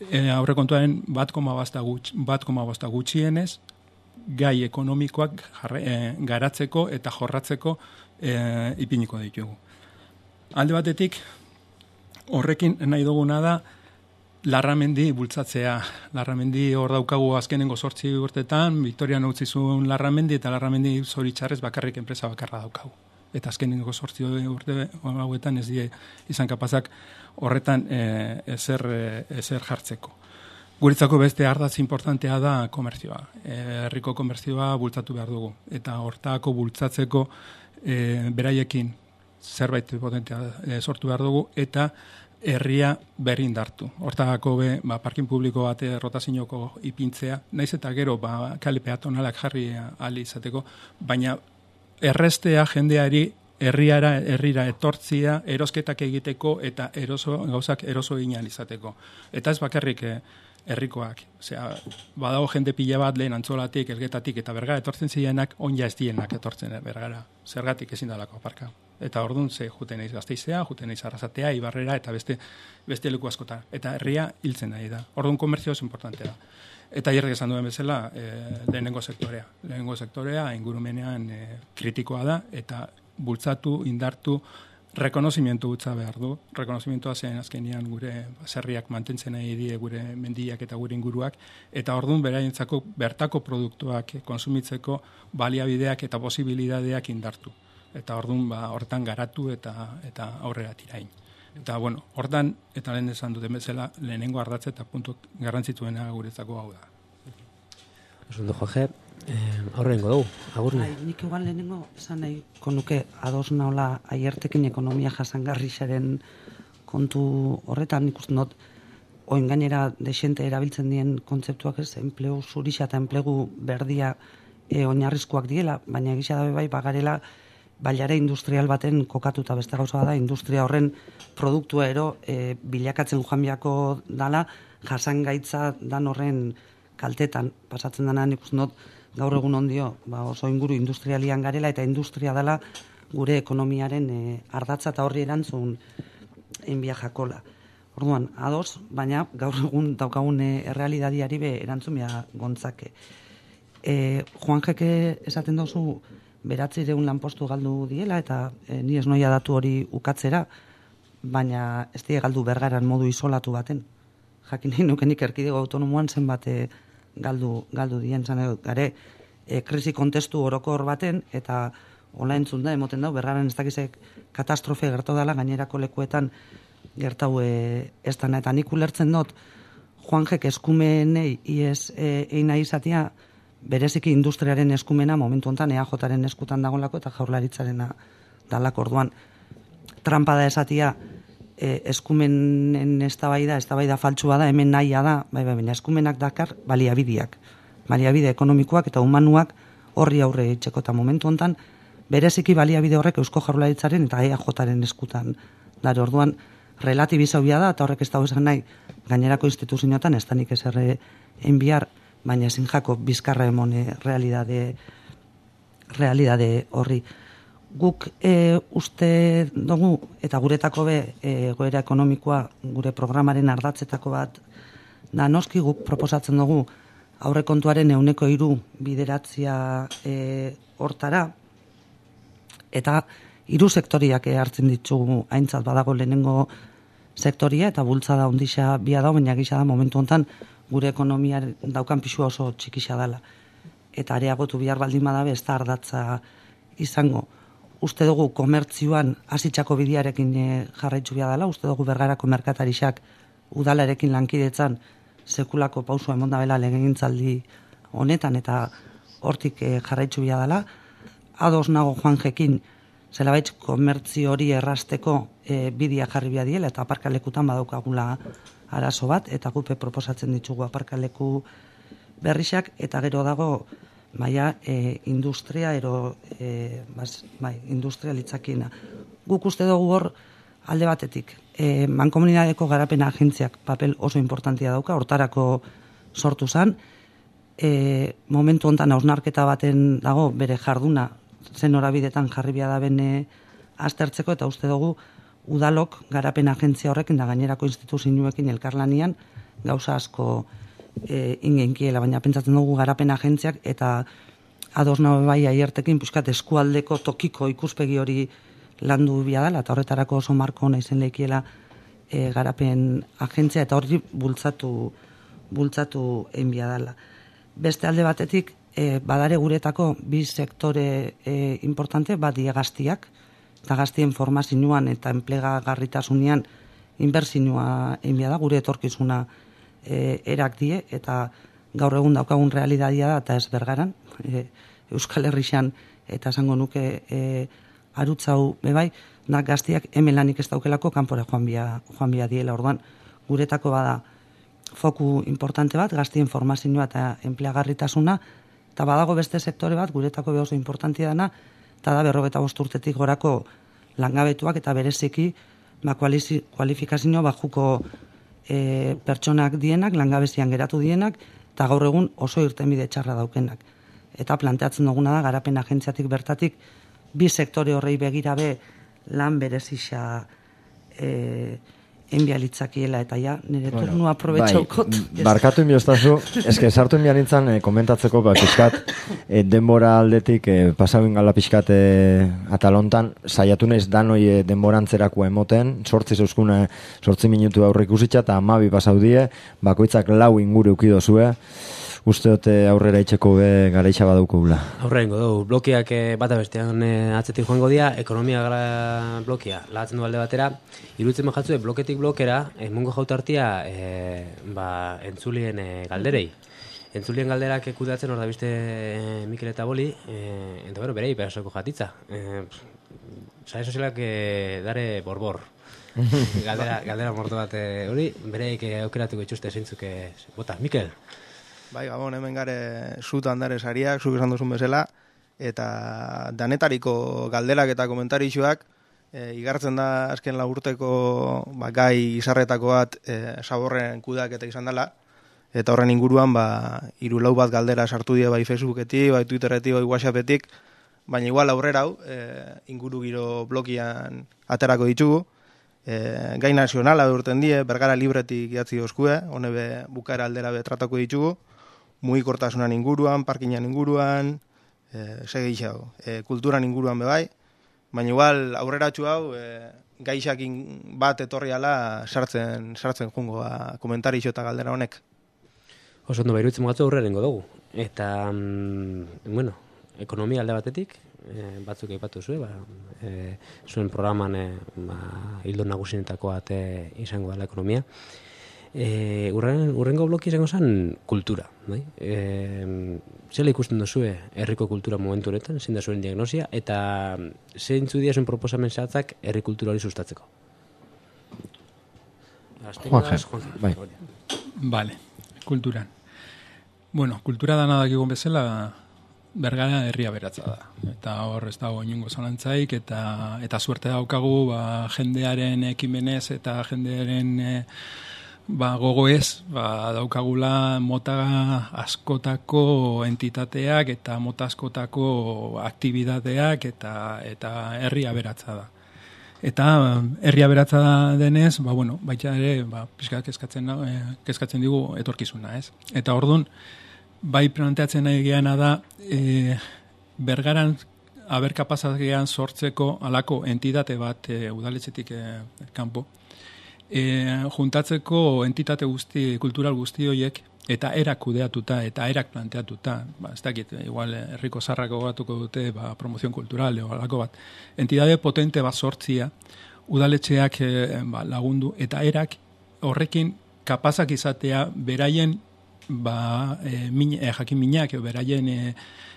e, aurrekontuaren bat koma bosta gutxienez gai ekonomikoak jarre, e, garatzeko eta jorratzeko e, ipiniko ditugu. Alde batetik, horrekin nahi duguna da Larramendi bultzatzea. Larramendi hor daukagu azkenengo zortzi urtetan, Victorian utzi zuen Larramendi eta Larramendi zoritxarrez bakarrik enpresa bakarra daukagu. Eta azkenengo zortzi urte hauetan ez die izan kapazak horretan e, ezer, ezer jartzeko. Guretzako beste ardatz importantea da komerzioa. E, herriko komerzioa bultzatu behar dugu. Eta hortako bultzatzeko e, beraiekin zerbait potentea e, sortu behar dugu eta herria berrindartu. Hortagako be, ba, parkin publiko bate rotazinoko ipintzea, naiz eta gero ba, kale peatonalak jarri ahal izateko, baina errestea jendeari herriara, herrira etortzia, erosketak egiteko eta eroso, gauzak eroso egin izateko. Eta ez bakarrik eh, herrikoak. Osea, badago jende pila bat lehen Antzolatik, Elgetatik eta Bergara etortzen zirenak, onja ez dienak etortzen Bergara. Zergatik ezin dalako aparka. Eta orduan ze juten naiz Gasteizea, juten naiz Arrasatea, Ibarrera eta beste beste leku askota. Eta herria hiltzen nahi da. Orduan komerzio oso importantea da. Eta hierrek esan duen bezala, e, lehenengo sektorea. Lehenengo sektorea ingurumenean e, kritikoa da eta bultzatu, indartu, rekonozimientu gutza behar du. Rekonozimientua zen azkenean gure zerriak mantentzen nahi die gure mendiak eta gure inguruak. Eta orduan beraientzako bertako produktuak konsumitzeko baliabideak eta posibilidadeak indartu. Eta orduan ba, hortan garatu eta eta aurrera tirain. Eta bueno, hortan eta lehen esan duten bezala lehenengo ardatze eta puntu garrantzitsuena guretzako hau da. Oso Jorge, eh, aurrengo dugu, agurne. Bai, nik igual lehenengo esan nahi konuke ados naola aiertekin ekonomia jasangarrixaren kontu horretan ikusten dut oin gainera desente erabiltzen dien kontzeptuak ez, enplegu zurixa eta enplegu berdia e, oinarrizkoak diela, baina egisa dabe bai bagarela bailare industrial baten kokatuta beste gauza da, industria horren produktua ero e, bilakatzen joan biako dala, jasangaitza dan horren kaltetan pasatzen dena nik uste dut gaur egun ondio, ba oso inguru industrialian garela eta industria dela gure ekonomiaren e, ardatza eta horri erantzun enbia jakola. Orduan, ados, baina gaur egun daukagun e, errealidadiari be erantzun bia gontzake. E, Juan Jeke esaten dauzu beratzireun lanpostu galdu diela eta e, ni ez noia datu hori ukatzera, baina ez die galdu Bergaran modu isolatu baten. Jakin nahi nukenik erkidego autonomoan zenbat e, galdu, galdu dien zan edo, gare e, krisi kontestu orokor baten eta hola entzun da, emoten dau, Bergaran ez dakizek katastrofe gertau dela gainerako lekuetan gertau e, ez dana. Eta nik ulertzen dut Juan Jek eskumenei iez e, eina izatea bereziki industriaren eskumena momentu honetan E A Jaren eskutan dagoelako eta Jaurlaritzarena dalako. Orduan trampa da esatia e, eskumenen eztabaida, eztabaida faltsua da, hemen nahia da, bai, bai, baina eskumenak dakar baliabideak. Baliabide ekonomikoak eta humanuak horri aurre itxeko eta momentu hontan bereziki baliabide horrek Eusko Jaurlaritzaren eta E A Jaren eskutan dare. Orduan relatibizabia da eta horrek ez dago esan nahi gainerako instituzioetan ez danik eserre enbiar, baina ezin jako bizkarra emone realidade realidade horri. Guk e, uste dugu eta guretako be e, goera ekonomikoa gure programaren ardatzetako bat da noski guk proposatzen dugu aurrekontuaren ehuneko hiru bideratzia e, hortara, eta hiru sektoriak hartzen ditugu aintzat badago lehenengo sektoria eta bultzada ondisa bia da, baina gisa da momentu hontan gure ekonomia daukan pisua oso txikisa dela. Eta areagotu bihar baldin badabe ez da ardatza izango. Uste dugu komertzioan hasitzako bidearekin jarraitzu bia dela, uste dugu Bergarako merkatarixak udalarekin lankidetzan sekulako pausua emonda bela legegintzaldi honetan eta hortik jarraitzu bia dela. Ados nago Juanjekin zelabait komertzio hori errasteko e, bidea jarri bia diela eta aparkalekutan badaukagula arazo bat eta gupe proposatzen ditugu aparkaleku berrixak eta gero dago maia e, industria ero e, bas, bai, industria litzakina. Guk uste dugu hor alde batetik e, mankomunidadeko garapen agentziak papel oso importantia dauka, hortarako sortu zen, e, momentu hontan hausnarketa baten dago bere jarduna zen horabidetan jarri bia da bene aztertzeko eta uste dugu udalok garapen agentzia horrekin da gainerako instituzioekin elkarlanian gauza asko e, ingenkiela, baina pentsatzen dugu garapen agentziak eta ados nabe bai aiertekin puskat eskualdeko tokiko ikuspegi hori landu bia dela eta horretarako oso marko ona izen leikiela e, garapen agentzia eta hori bultzatu bultzatu enbia dela. Beste alde batetik e, badare guretako bi sektore e, importante bat die gaztiak eta gaztien formazioan eta enplegagarritasunean inbertsioa enbia da gure etorkizuna e, erak die eta gaur egun daukagun realitatea da eta ez Bergaran e, Euskal Herrixan eta esango nuke e, arutzau bebai da gaztiak hemen lanik ez daukelako kanpora joan bia, joan bia diela. Orduan guretako bada foku importante bat gaztien formazioa eta enplegagarritasuna eta badago beste sektore bat guretako oso importantea dana eta da berrogeta bost urtetik gorako langabetuak eta bereziki ba, kualifikazio bajuko e, pertsonak dienak, langabezian geratu dienak eta gaur egun oso irtenbide txarra daukenak. Eta planteatzen duguna da garapen agentziatik bertatik bi sektore horrei begirabe lan berezisa e, enbialitzakiela eta ja, nire bueno, turnu aprobetxaukot. Bai, barkatu inbiostazu, eske sartu inbian nintzen eh, komentatzeko, ba, pixkat, eh, denbora aldetik, eh, pasauin gala pixkat eh, atalontan, saiatu naiz danoi eh, denborantzerako emoten, sortzi zeuskuna, sortzi minutu aurrik usitxa, eta amabi pasau die, bakoitzak lau inguru ukidozue, uste dute aurrera itxeko be garaitxa badaukugula. Aurrera ingo dugu, blokeak bata bestean e, atzetik joango dia, ekonomia gara blokea, lahatzen du alde batera, iruditzen mahatzue bloketik blokera, emungo jautartia e, ba, entzulien e, galderei. Entzulien galderak kudeatzen hor da biste e, Mikel eta Boli, e, eta bero, berei perasoko jatitza. E, Sare sozialak e, dare borbor. galdera, galdera morto bat hori, e, bereik e, aukeratuko itxuste zeintzuk e, bota, Mikel? Bai, Gabon, hemen gare zutan dare sariak, zuk esan duzun bezala, eta danetariko galderak eta komentarixuak, e, igartzen da azken laburteko ba, gai izarretako bat e, saborren kudak eta izan dela, eta horren inguruan ba, hiru lau bat galdera sartu die bai Facebooketik, bai Twitterretik, bai Whatsappetik, baina igual aurrera hau, e, inguru giro blokian aterako ditugu, e, gai nazionala urten die, Bergara libretik idatzi dozkue, hone be bukaera aldera be tratako ditugu, mugikortasunan inguruan, parkinan inguruan, e, segi xau, e, kulturan inguruan bebai, baina igual aurreratxu hau e, gaixakin bat etorriala sartzen sartzen jungo ba, komentarixo eta galdera honek. Oso ondo bairutzen mogatzu aurrera nengo dugu. Eta, mm, bueno, ekonomia alde batetik, e, batzuk aipatu zuen, ba, e, zuen programan e, ba, hildo nagusinetako bat e, izango dela ekonomia. E, urren, urrengo bloki izango zen kultura. Bai? E, zela ikusten duzue herriko kultura momentu honetan, zein da zuen diagnosia, eta zeintzu dia zuen proposamen zehatzak herri kultura hori sustatzeko? Juan, bai. Vale, kulturan. Bueno, kultura dana dakigun bezala, Bergara herria beratza da. Eta hor ez dago inungo zalantzaik, eta, eta suerte daukagu ba, jendearen ekimenez eta jendearen e, ba, gogoez ba, daukagula mota askotako entitateak eta mota askotako aktibitateak eta, eta herria beratza da. Eta herria beratza denez, ba, bueno, baita ere, ba, pixka kezkatzen, eh, kezkatzen digu etorkizuna, ez? Eta ordun bai planteatzen nahi geana da, e, Bergaran aber kapazagean sortzeko alako entitate bat e, udaletxetik e, kanpo. E, juntatzeko entitate guzti, kultural guzti horiek, eta erak kudeatuta, eta erak planteatuta, ba, ez dakit, igual herriko zarrako gatuko dute, ba, promozion kultural, o alako bat. Entitate potente bat sortzia, udaletxeak e, ba, lagundu, eta erak horrekin kapazak izatea beraien ba, e, min, e, jakin minak, beraien e,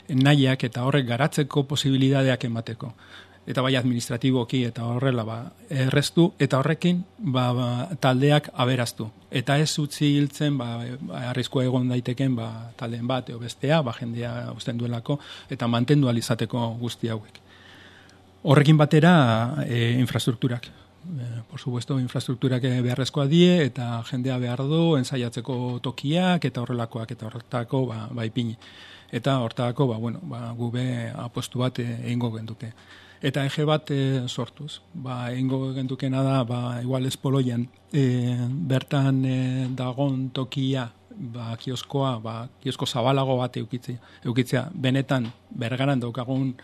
nahiak eta horrek garatzeko posibilidadeak emateko. Eta bai administratiboki eta horrela ba, erreztu, eta horrekin ba, ba, taldeak aberaztu. Eta ez utzi hiltzen, ba, arriskua egon daiteken ba, taldeen bat, eo bestea, ba, jendea usten duelako, eta mantendu alizateko guzti hauek. Horrekin batera e, infrastrukturak. Eh, por supuesto, infrastrukturak beharrezkoa die, eta jendea behar du, ensaiatzeko tokiak, eta horrelakoak, eta horretako, ba, ba ipini. Eta hortako, ba, bueno, ba, gube apostu bat egingo genduke. Eta ege bat e, sortuz. Ba, egingo gendukena da, ba, igual espoloian, e, bertan e, dagon tokia, ba, kioskoa, ba, kiosko zabalago bat eukitzea, eukitzea. Benetan, Bergaran daukagun,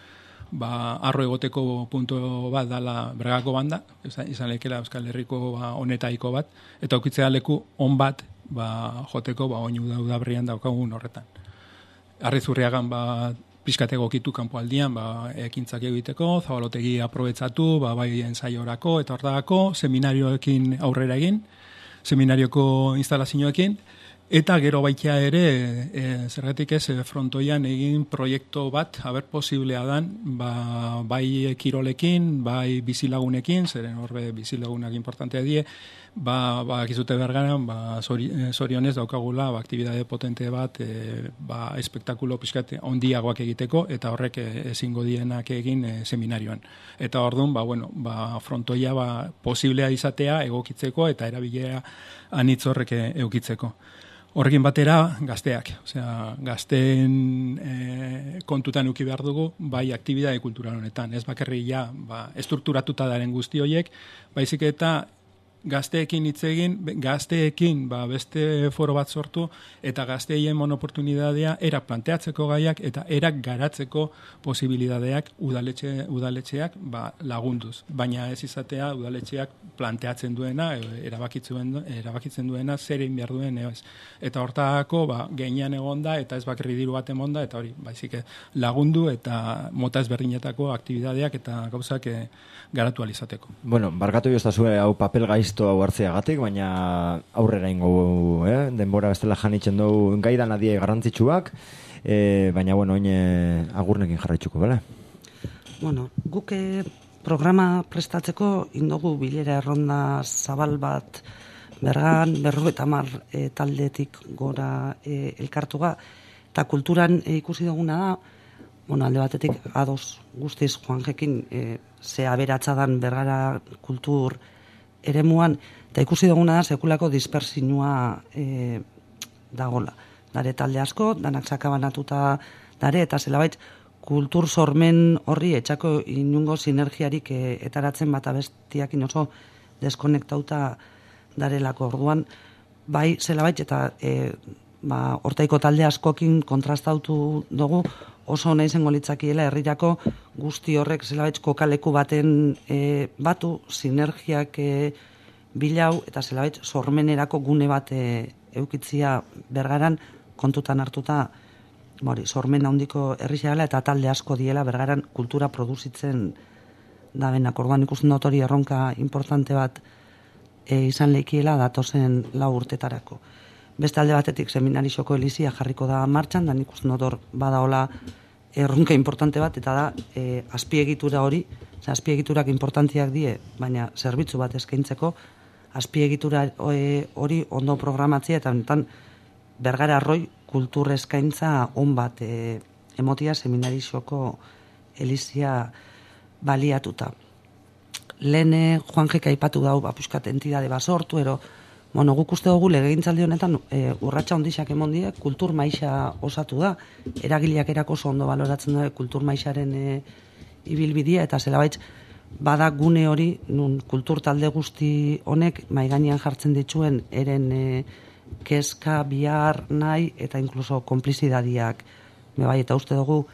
ba, arro egoteko punto bat dala Bergako banda, izan lekela Euskal Herriko ba, honetaiko bat, eta aukitzea leku on bat ba, joteko ba, oinu daudabrian daukagun horretan. Arrizurriagan ba, pixkate egokitu kanpoaldian ba, ekintzak egiteko, zabalotegi aprobetzatu, ba, bai ensaiorako eta hortagako, seminarioekin aurrera egin, seminarioko instalazioekin, eta gero baitea ere, e, zergatik ez, frontoian egin proiektu bat, haber posiblea dan, ba, bai kirolekin, bai bizilagunekin, zeren horbe bizilagunak importantea die, ba, ba, kizute Bergaran, ba, zorionez daukagula, ba, aktibidade potente bat, e, ba, espektakulo pixkat ondiagoak egiteko, eta horrek ezingo dienak egin e, seminarioan. Eta orduan, ba, bueno, ba, frontoia ba, posiblea izatea egokitzeko, eta erabilera anitz horrek eukitzeko. Horrekin batera, gazteak. Osea, gazteen e, kontutan uki behar dugu, bai aktibidade kultural honetan. Ez bakarri ja, ba, estrukturatuta daren guzti horiek, baizik eta gazteekin hitz egin, gazteekin ba, beste foro bat sortu, eta gazteien monoportunidadea erak planteatzeko gaiak, eta erak garatzeko posibilidadeak udaletxe, udaletxeak ba, lagunduz. Baina ez izatea udaletxeak planteatzen duena, erabakitzen, erabakitzen duena, zer egin behar duen, ez. Eta hortako, ba, gainean egonda, eta ez bakarri diru bat emonda, eta hori, baizik lagundu, eta mota ezberdinetako aktibidadeak eta gauzak e, garatu alizateko. Bueno, barkatu joztazue hau papel gaizto hau hartzeagatik, baina aurrera ingo, eh? Denbora bestela janitzen dugu gaidan adie garrantzitsuak, eh, baina, bueno, oin agurnekin jarraitzuko, bale? Bueno, guke programa prestatzeko indogu bilera erronda zabal bat Bergan, berrogeita hamar e, taldetik gora e, elkartuga, eta kulturan e, ikusi duguna da, bueno, alde batetik ados guztiz Juanjekin e, ze aberatzadan Bergara kultur eremuan, eta ikusi duguna da sekulako dispersinua e, dagola. Dare talde asko, danak sakabanatuta dare, eta zelabait kultur sormen horri etxako inungo sinergiarik e, etaratzen bat abestiakin oso deskonektauta darelako. Orduan, bai zelabait eta e, ba, hortaiko talde askokin kontrastautu dugu, oso nahi zengo litzakiela herrirako guzti horrek zelabait kokaleku baten e, batu, sinergiak e, bilau, eta zelabait sormenerako gune bat e, eukitzia Bergaran kontutan hartuta, bori, sormen handiko herrixeala eta talde asko diela Bergaran kultura produzitzen da benak. Orduan ikusten dut hori erronka importante bat e, izan leikiela datozen lau urtetarako. Beste alde batetik seminarisoko elizia jarriko da martxan, da nik uste dut hor badaola erronka importante bat, eta da e, azpiegitura hori, azpiegiturak importantziak die, baina zerbitzu bat eskaintzeko, azpiegitura hori ondo programatzea, eta honetan Bergara Arroi kultur eskaintza on bat e, emotia seminarizoko elizia baliatuta. Lehen Juan Jeka aipatu dau, apuskat entidade basortu, ero, bueno, guk uste dugu legegintzaldi honetan e, urratsa ondixak emondiek, kultur maixa osatu da, eragileak erako oso ondo baloratzen da kultur maixaren e, ibilbidia, eta zelabaitz bada gune hori, nun kultur talde guzti honek maiganean jartzen dituen eren e, kezka, bihar, nahi, eta inkluso konplizidadiak, bai, eta uste dugu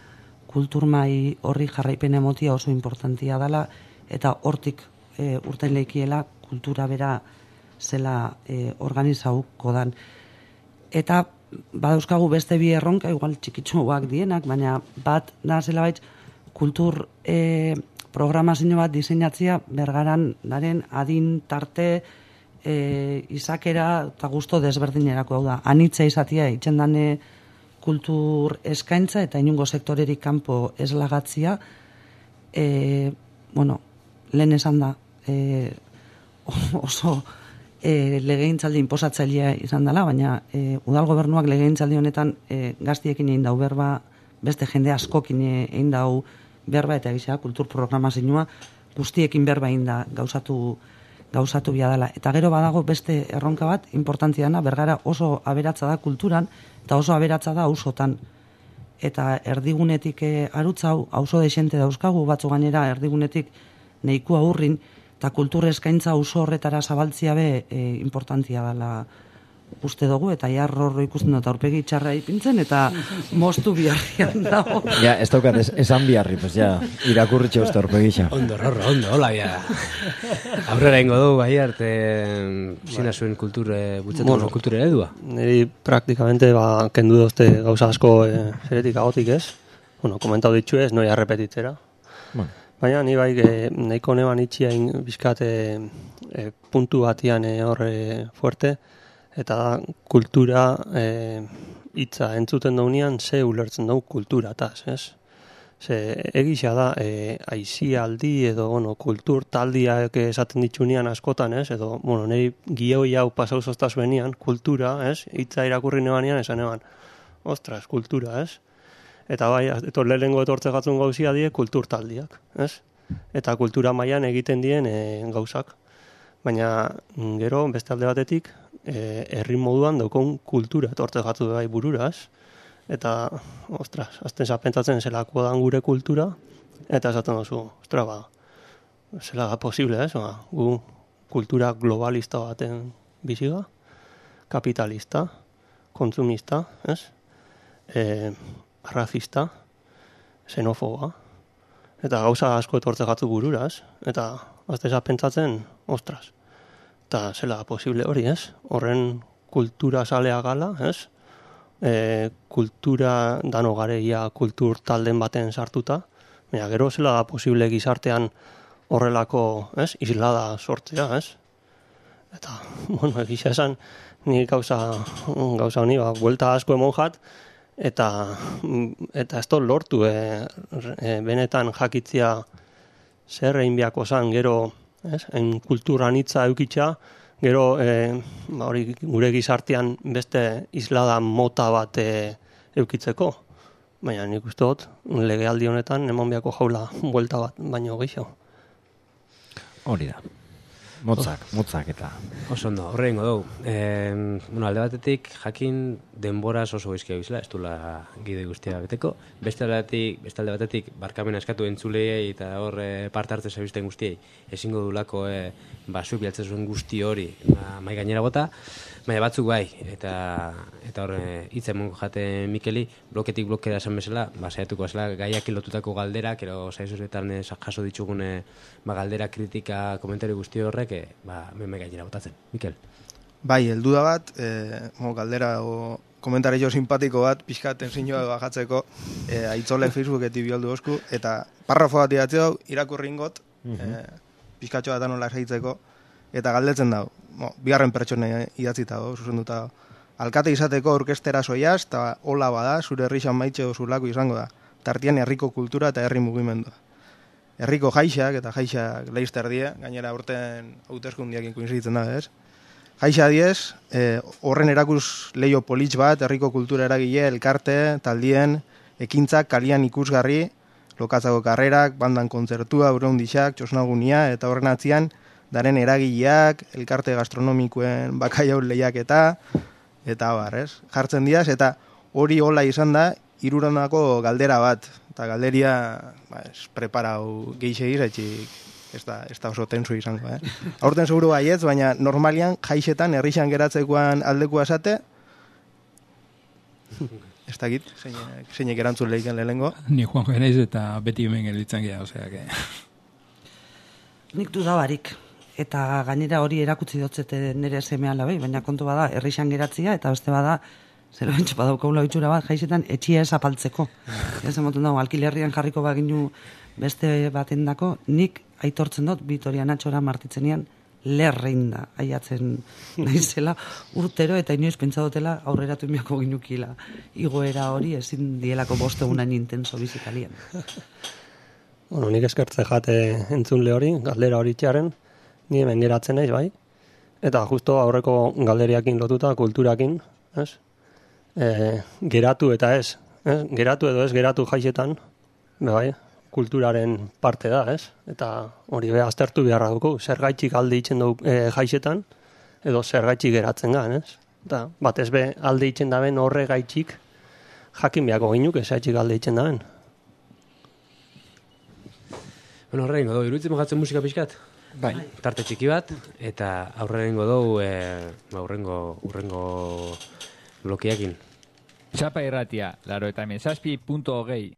kultur mai horri jarraipen emotia oso importantia dela, eta hortik e, urten leikiela kultura bera zela e, organizauko dan. Eta badauzkagu beste bi erronka, igual txikitsuak dienak, baina bat da zela baitz kultur e, programazio bat diseinatzea Bergaran daren adin tarte e, izakera eta gusto desberdinerako, hau da, anitza izatea itxendane kultur eskaintza eta inungo sektorerik kanpo eslagatzia, e, bueno, lehen esan da, e, oso e, legegintzaldi inposatzailea izan dela, baina e, udal gobernuak legegintzaldi honetan e, gaztiekin egin dau berba, beste jende askokin egin dau berba, eta egizea kultur programazioa guztiekin berba egin da gauzatu, gauzatu biadala. Eta gero badago beste erronka bat, importantiana, Bergara oso aberatza da kulturan, eta oso aberatza da auzotan. Eta erdigunetik e, arutzau, auzo desente dauzkagu, batzu gainera erdigunetik nahikoa urrin, eta kultur eskaintza auzo horretara zabaltzia be e, importantia dela uste dugu, eta jarro horro ikusten dut aurpegi txarra ipintzen, eta moztu biharrian dago. Ja, ez daukat, ez, esan biharri, pues ja, irakurritxe uste aurpegi xa. Ondo, horro, ondo, hola, ja. Aurrera ingo dugu, bai, arte, zina zuen kultur, bultzatu bueno, kultur eredua. Niri praktikamente, ba, kendu dozte gauza asko e, zeretik agotik ez. Bueno, komentau ditxu ez, noia repetitzera. Bueno. Baina, ni bai, e, nahiko neban itxia bizkat e, e, puntu batian e, horre fuerte, eta kultura e, hitza entzuten daunean ze ulertzen dugu kultura, taz, ez? Ze egisa da, e, aizialdi edo, bueno, kultur taldiak esaten ditxunean askotan, ez? Edo, bueno, niri gioi hau pasau zoztazuenian, kultura, ez? Hitza irakurri nebanean, esan eban, ostras, kultura, ez? Eta bai, etor lehenengo etortze gatzun gauzia die kultur taldiak, ez? Eta kultura mailan egiten dien e, gauzak. Baina gero, beste alde batetik, e, herri moduan daukon kultura etortze gatzu bai bururaz. Eta, ostras, azten zapentatzen zelako dan gure kultura, eta esaten duzu, ostras, ba, zela da posible, ez? Ba, gu kultura globalista baten biziga, kapitalista, kontsumista, ez? E, razista, xenofoba, eta gauza asko etortze gatzu bururaz, eta azteza pentsatzen, ostras, eta zela posible hori, ez? Horren kultura salea gala, ez? E, kultura dano gareia kultur talden baten sartuta, baina gero zela posible gizartean horrelako, ez? Islada sortzea, ez? Eta, bueno, egisa esan, ni gauza, gauza honi, ba, buelta asko emon jat, eta eta ez lortu e, e, benetan jakitzia zer egin biako zan, gero ez, en kultura anitza eukitza, gero e, hori gure gizartean beste islada mota bat e, eukitzeko, baina nik uste dut legealdi honetan eman biako jaula buelta bat baino gehiago. Hori da. Motzak, motzak eta... Oso ondo, horrengo dugu. E, bueno, alde batetik, jakin denboraz oso goizkia bizela, ez duela gide guztia beteko. Beste alde batetik, beste alde batetik barkamena eskatu entzulei eta hor e, parte hartze zebizten guztiei, ezingo dulako e, basuk bialtzen zuen guzti hori ba, mai gainera bota, baina batzuk bai, eta eta hor hitz emongo jate Mikeli, bloketik blokera esan bezala, ba, saiatuko zela gaiak lotutako galderak, ero saizuzetan jaso ditugune ba, galdera, kritika, komentari guzti horrek, e, ba, mai gainera botatzen. Mikel? Bai, heldu da bat, e, mo, galdera o komentario simpatiko bat, pixkaten zinua bajatzeko, e, aitzole Facebooketik bioldu osku, eta parrafo bat idatzeo, irakurri ingot, mm-hmm. e, pixkatxo bat anola esaitzeko, eta galdetzen dago, mo, bigarren pertsona idatzita dago, zuzenduta dago. Alkate izateko orkestera soiaz, eta hola bada, zure herrixan maitxe zulako izango da. Tartian herriko kultura eta herri mugimendua. herriko jaixak, eta jaixak leizter die, gainera urten hauteskundiakin koinziditzen da, ez? Jaixa diez, eh, horren erakus leio politx bat, herriko kultura eragile, elkarte, taldien, ekintzak, kalian ikusgarri, lokatzako karrerak, bandan kontzertua, urreundixak, txosnagunia, eta horren atzian, daren eragileak, elkarte gastronomikoen bakaiau lehiak eta, eta bar, ez? Jartzen diaz, eta hori hola izan da, hirurondako galdera bat, eta galderia, ba, ez, preparau geixe izatxik, ez da, ez da oso tenso izango, eh? Aurten seguru baietz, baina normalian jaixetan herrixan geratzekoan aldekua esate, ez dakit, zeinek, zeinek erantzun lehiken lehengo. Ni Juan Geneiz eta beti hemen gelditzen gea, osea, que... Nik dudabarik, eta gainera hori erakutsi dotzete nire semea labai, baina kontu bada herrixan geratzia, eta beste bada, zer bentsu badaukaula bitxura bat, jaixetan etxia ez apaltzeko. Ez emoten dago, alkilerrian jarriko baginu beste baten dako, nik aitortzen dut, Vitoria Natxora martitzenian, lerrein da, aiatzen naizela urtero, eta inoiz pentsatotela aurreratu miako ginukila. Igoera hori ezin dielako bostegunan intenso bizikalien. Bueno, nik eskertze jate entzunle hori, galdera hori txaren, ni hemen geratzen naiz, bai? Eta justo aurreko galderiakin lotuta, kulturakin, ez? E, geratu eta ez, ez? Geratu edo ez geratu jaixetan, bai? Kulturaren parte da, ez? Eta hori be aztertu beharra dugu, zergaitxik alde itzen dugu e, jaixetan, edo zergaitxik geratzen gan, ez? Eta batez be alde itzen daben horre gaitxik jakin beako ginuk, ezaitxik alde itzen daben. Bueno, horrein godo, iruditzen mogatzen musika pixkat? Bai. Tarte txiki bat, eta aurrein godo, e, urrengo, urrengo blokiakin. Txapa irratia, laro eta hemen zazpi punto hogei.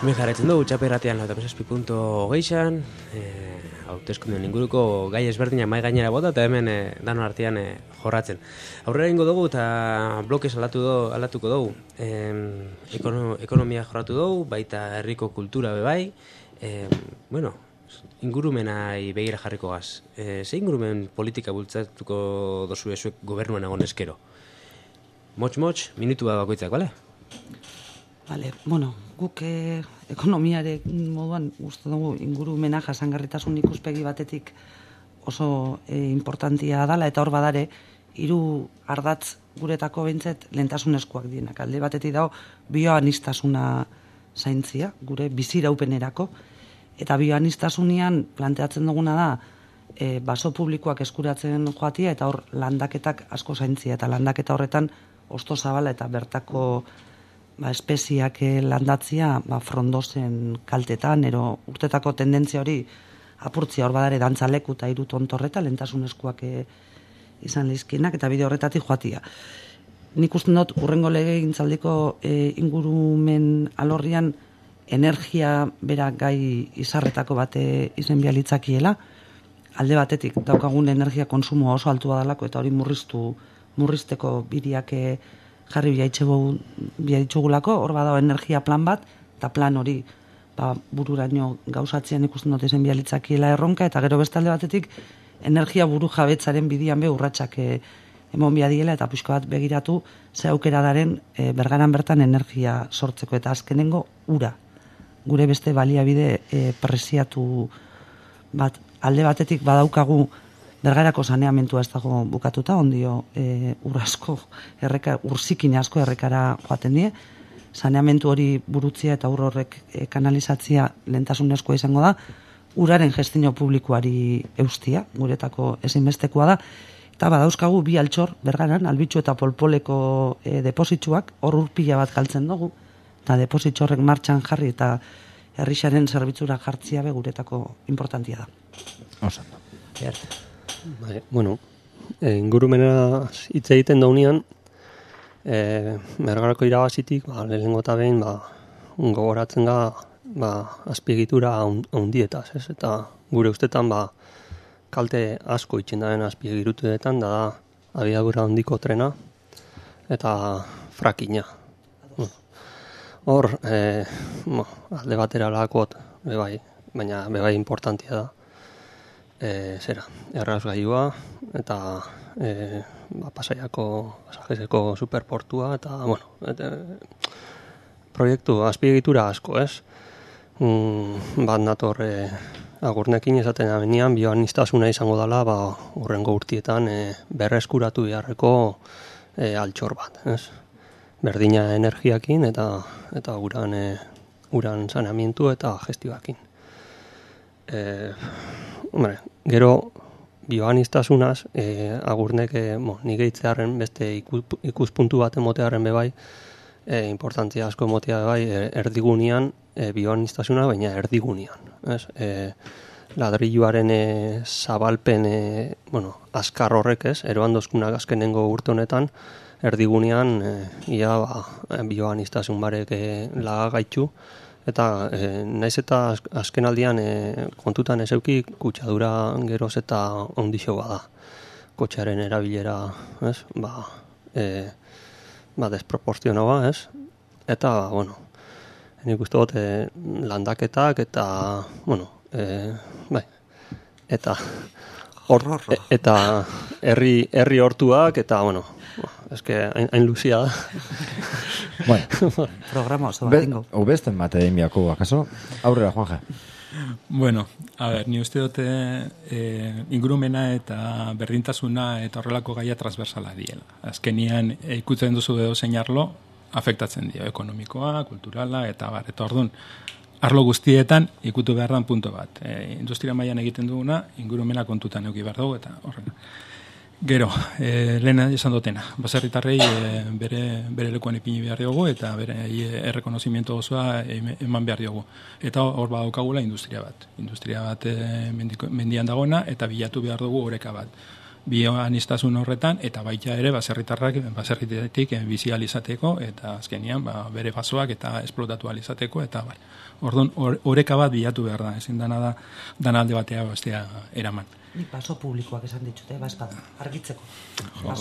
Hemen jarraitzen dugu, txaperratean lau eta zazpi punto hogeixan, e, hauteskunden inguruko gai ezberdinak mai gainera bota, eta hemen e, danon artean e, jorratzen. Aurrera ingo dugu eta blokez alatu do, alatuko dugu. E, ekono, ekonomia jorratu dugu, baita herriko kultura bebai. E, bueno, ingurumenai begira jarriko gaz. E, ze ingurumen politika bultzatuko dozu ezuek gobernuan egon eskero? Motx-motx, minutu bat bakoitzak, bale? Vale, bueno, guk eh, ekonomiare moduan uste dugu ingurumena jasangarritasun ikuspegi batetik oso eh, importantia dala, eta hor badare hiru ardatz guretako behintzet lehentasunezkoak dienak. Alde batetik dago bioanistasuna zaintzia, gure biziraupenerako, Eta bioanistasunean planteatzen duguna da, e, baso publikoak eskuratzen joatia, eta hor landaketak asko zaintzia, eta landaketa horretan osto zabala eta bertako ba, espeziak landatzia ba, frondozen kaltetan, ero urtetako tendentzia hori apurtzia hor badare dantzaleku eta hiru tontorreta lehentasunezkoak e, izan lizkinak, eta bide horretatik joatia. Nik uste dut urrengo legegintzaldiko e, ingurumen alorrian energia bera gai izarretako bate izen bialitzakiela, alde batetik daukagun energia konsumo oso altua dalako eta hori murriztu murrizteko bideak jarri biaitxugulako, hor badago energia plan bat, eta plan hori ba, bururaino gauzatzean ikusten dut izen bialitzakiela erronka, eta gero bestalde batetik energia buru jabetzaren bidian be urratsak e, emon biadiela, eta pixko bat begiratu ze aukera daren e, bergaran bertan energia sortzeko, eta azkenengo ura. Gure beste baliabide e, presiatu bat alde batetik badaukagu Bergarako saneamentua ez dago bukatuta, ondio e, urrasko, erreka, urzikin asko errekara joaten die, saneamentu hori burutzia eta ur horrek e, kanalizatzia lehentasunezkoa izango da, uraren gestio publikoari eustia, guretako ezinbestekoa da, eta badauzkagu bi altxor, Bergaran, Albitxu eta Polpoleko e, depositxuak, hor urpila bat galtzen dugu, eta depositxorrek martxan jarri eta herrixaren zerbitzura jartzia be guretako importantia da. Osan, Erte. Bai, bueno, e, ingurumena hitz egiten daunean, e, Bergarako irabazitik, ba, lehenengo eta behin, ba, gogoratzen da, ba, azpiegitura handietaz, ez? Eta gure ustetan, ba, kalte asko itxen daren azpiegituretan, da da, abiadura handiko trena, eta frakina. Hor, e, bo, alde batera lakot, bebai, baina bebai importantia da. E, zera, errazgailua eta e, ba, Pasaiako Pasajezeko superportua eta, bueno, et, e, proiektu azpiegitura asko, ez? Mm, bat nator e, agurnekin esaten abenean bioaniztasuna izango dela, ba, urrengo urtietan e, berreskuratu beharreko e, altxor bat, ez? Berdina energiakin eta eta uran e, uran saneamendu eta gestioakin. Eh, hombre, gero bioanistasunaz eh, agurnek eh, mo, nire itzearen beste ikus, ikuspuntu bat emotearen bebai eh, importantzia asko emotea bebai er, erdigunean eh, bioanistasuna baina erdigunean, ez? Eh, ladrilluaren eh, zabalpen eh, bueno, azkar horrek, ez? Eroandozkunak azkenengo urte honetan erdigunean eh, ia ba, bioanistasun barek eh, lagagaitxu. Eta e, naiz eta azken aldian e, kontutan ez euki kutsadura geroz eta ondixo bada. Kotxearen erabilera, ez? Ba, e, ba desproporzionoa, ez? Eta, bueno, nik uste dut e, landaketak eta, bueno, e, bai, eta or, e, eta herri herri hortuak eta, bueno, eske hain, hain luzia da. Bueno, programa oso bat ingo. Ubesten bate egin biako, akaso? Aurrera, Juanja. Bueno, a ver, ni uste dute eh, ingurumena eta berdintasuna eta horrelako gaia transversala diela. Azkenian eh, ikutzen duzu edo zeinarlo, afektatzen dio, ekonomikoa, kulturala, eta bar, eta orduan, arlo guztietan ikutu behar dan punto bat. E, industria mailan egiten duguna, ingurumena kontutan euki behar dugu, eta horrela. Gero, e, lehena esan dutena, baserritarrei e, bere, bere lekuan ipini behar diogu eta bere e, errekonozimiento osoa eman behar diogu. Eta hor badaukagula industria bat. Industria bat e, mendiko, mendian dagoena eta bilatu behar dugu oreka bat. Bioanistasun horretan eta baita ere baserritarrak baserritetik e, bizi alizateko eta azkenian ba, bere basoak eta esplotatu alizateko eta bar. Orduan oreka bat bilatu behar da, ezin dana da dana alde batea bestea eraman. Ni paso publikoak esan ditute, ba espada, argitzeko.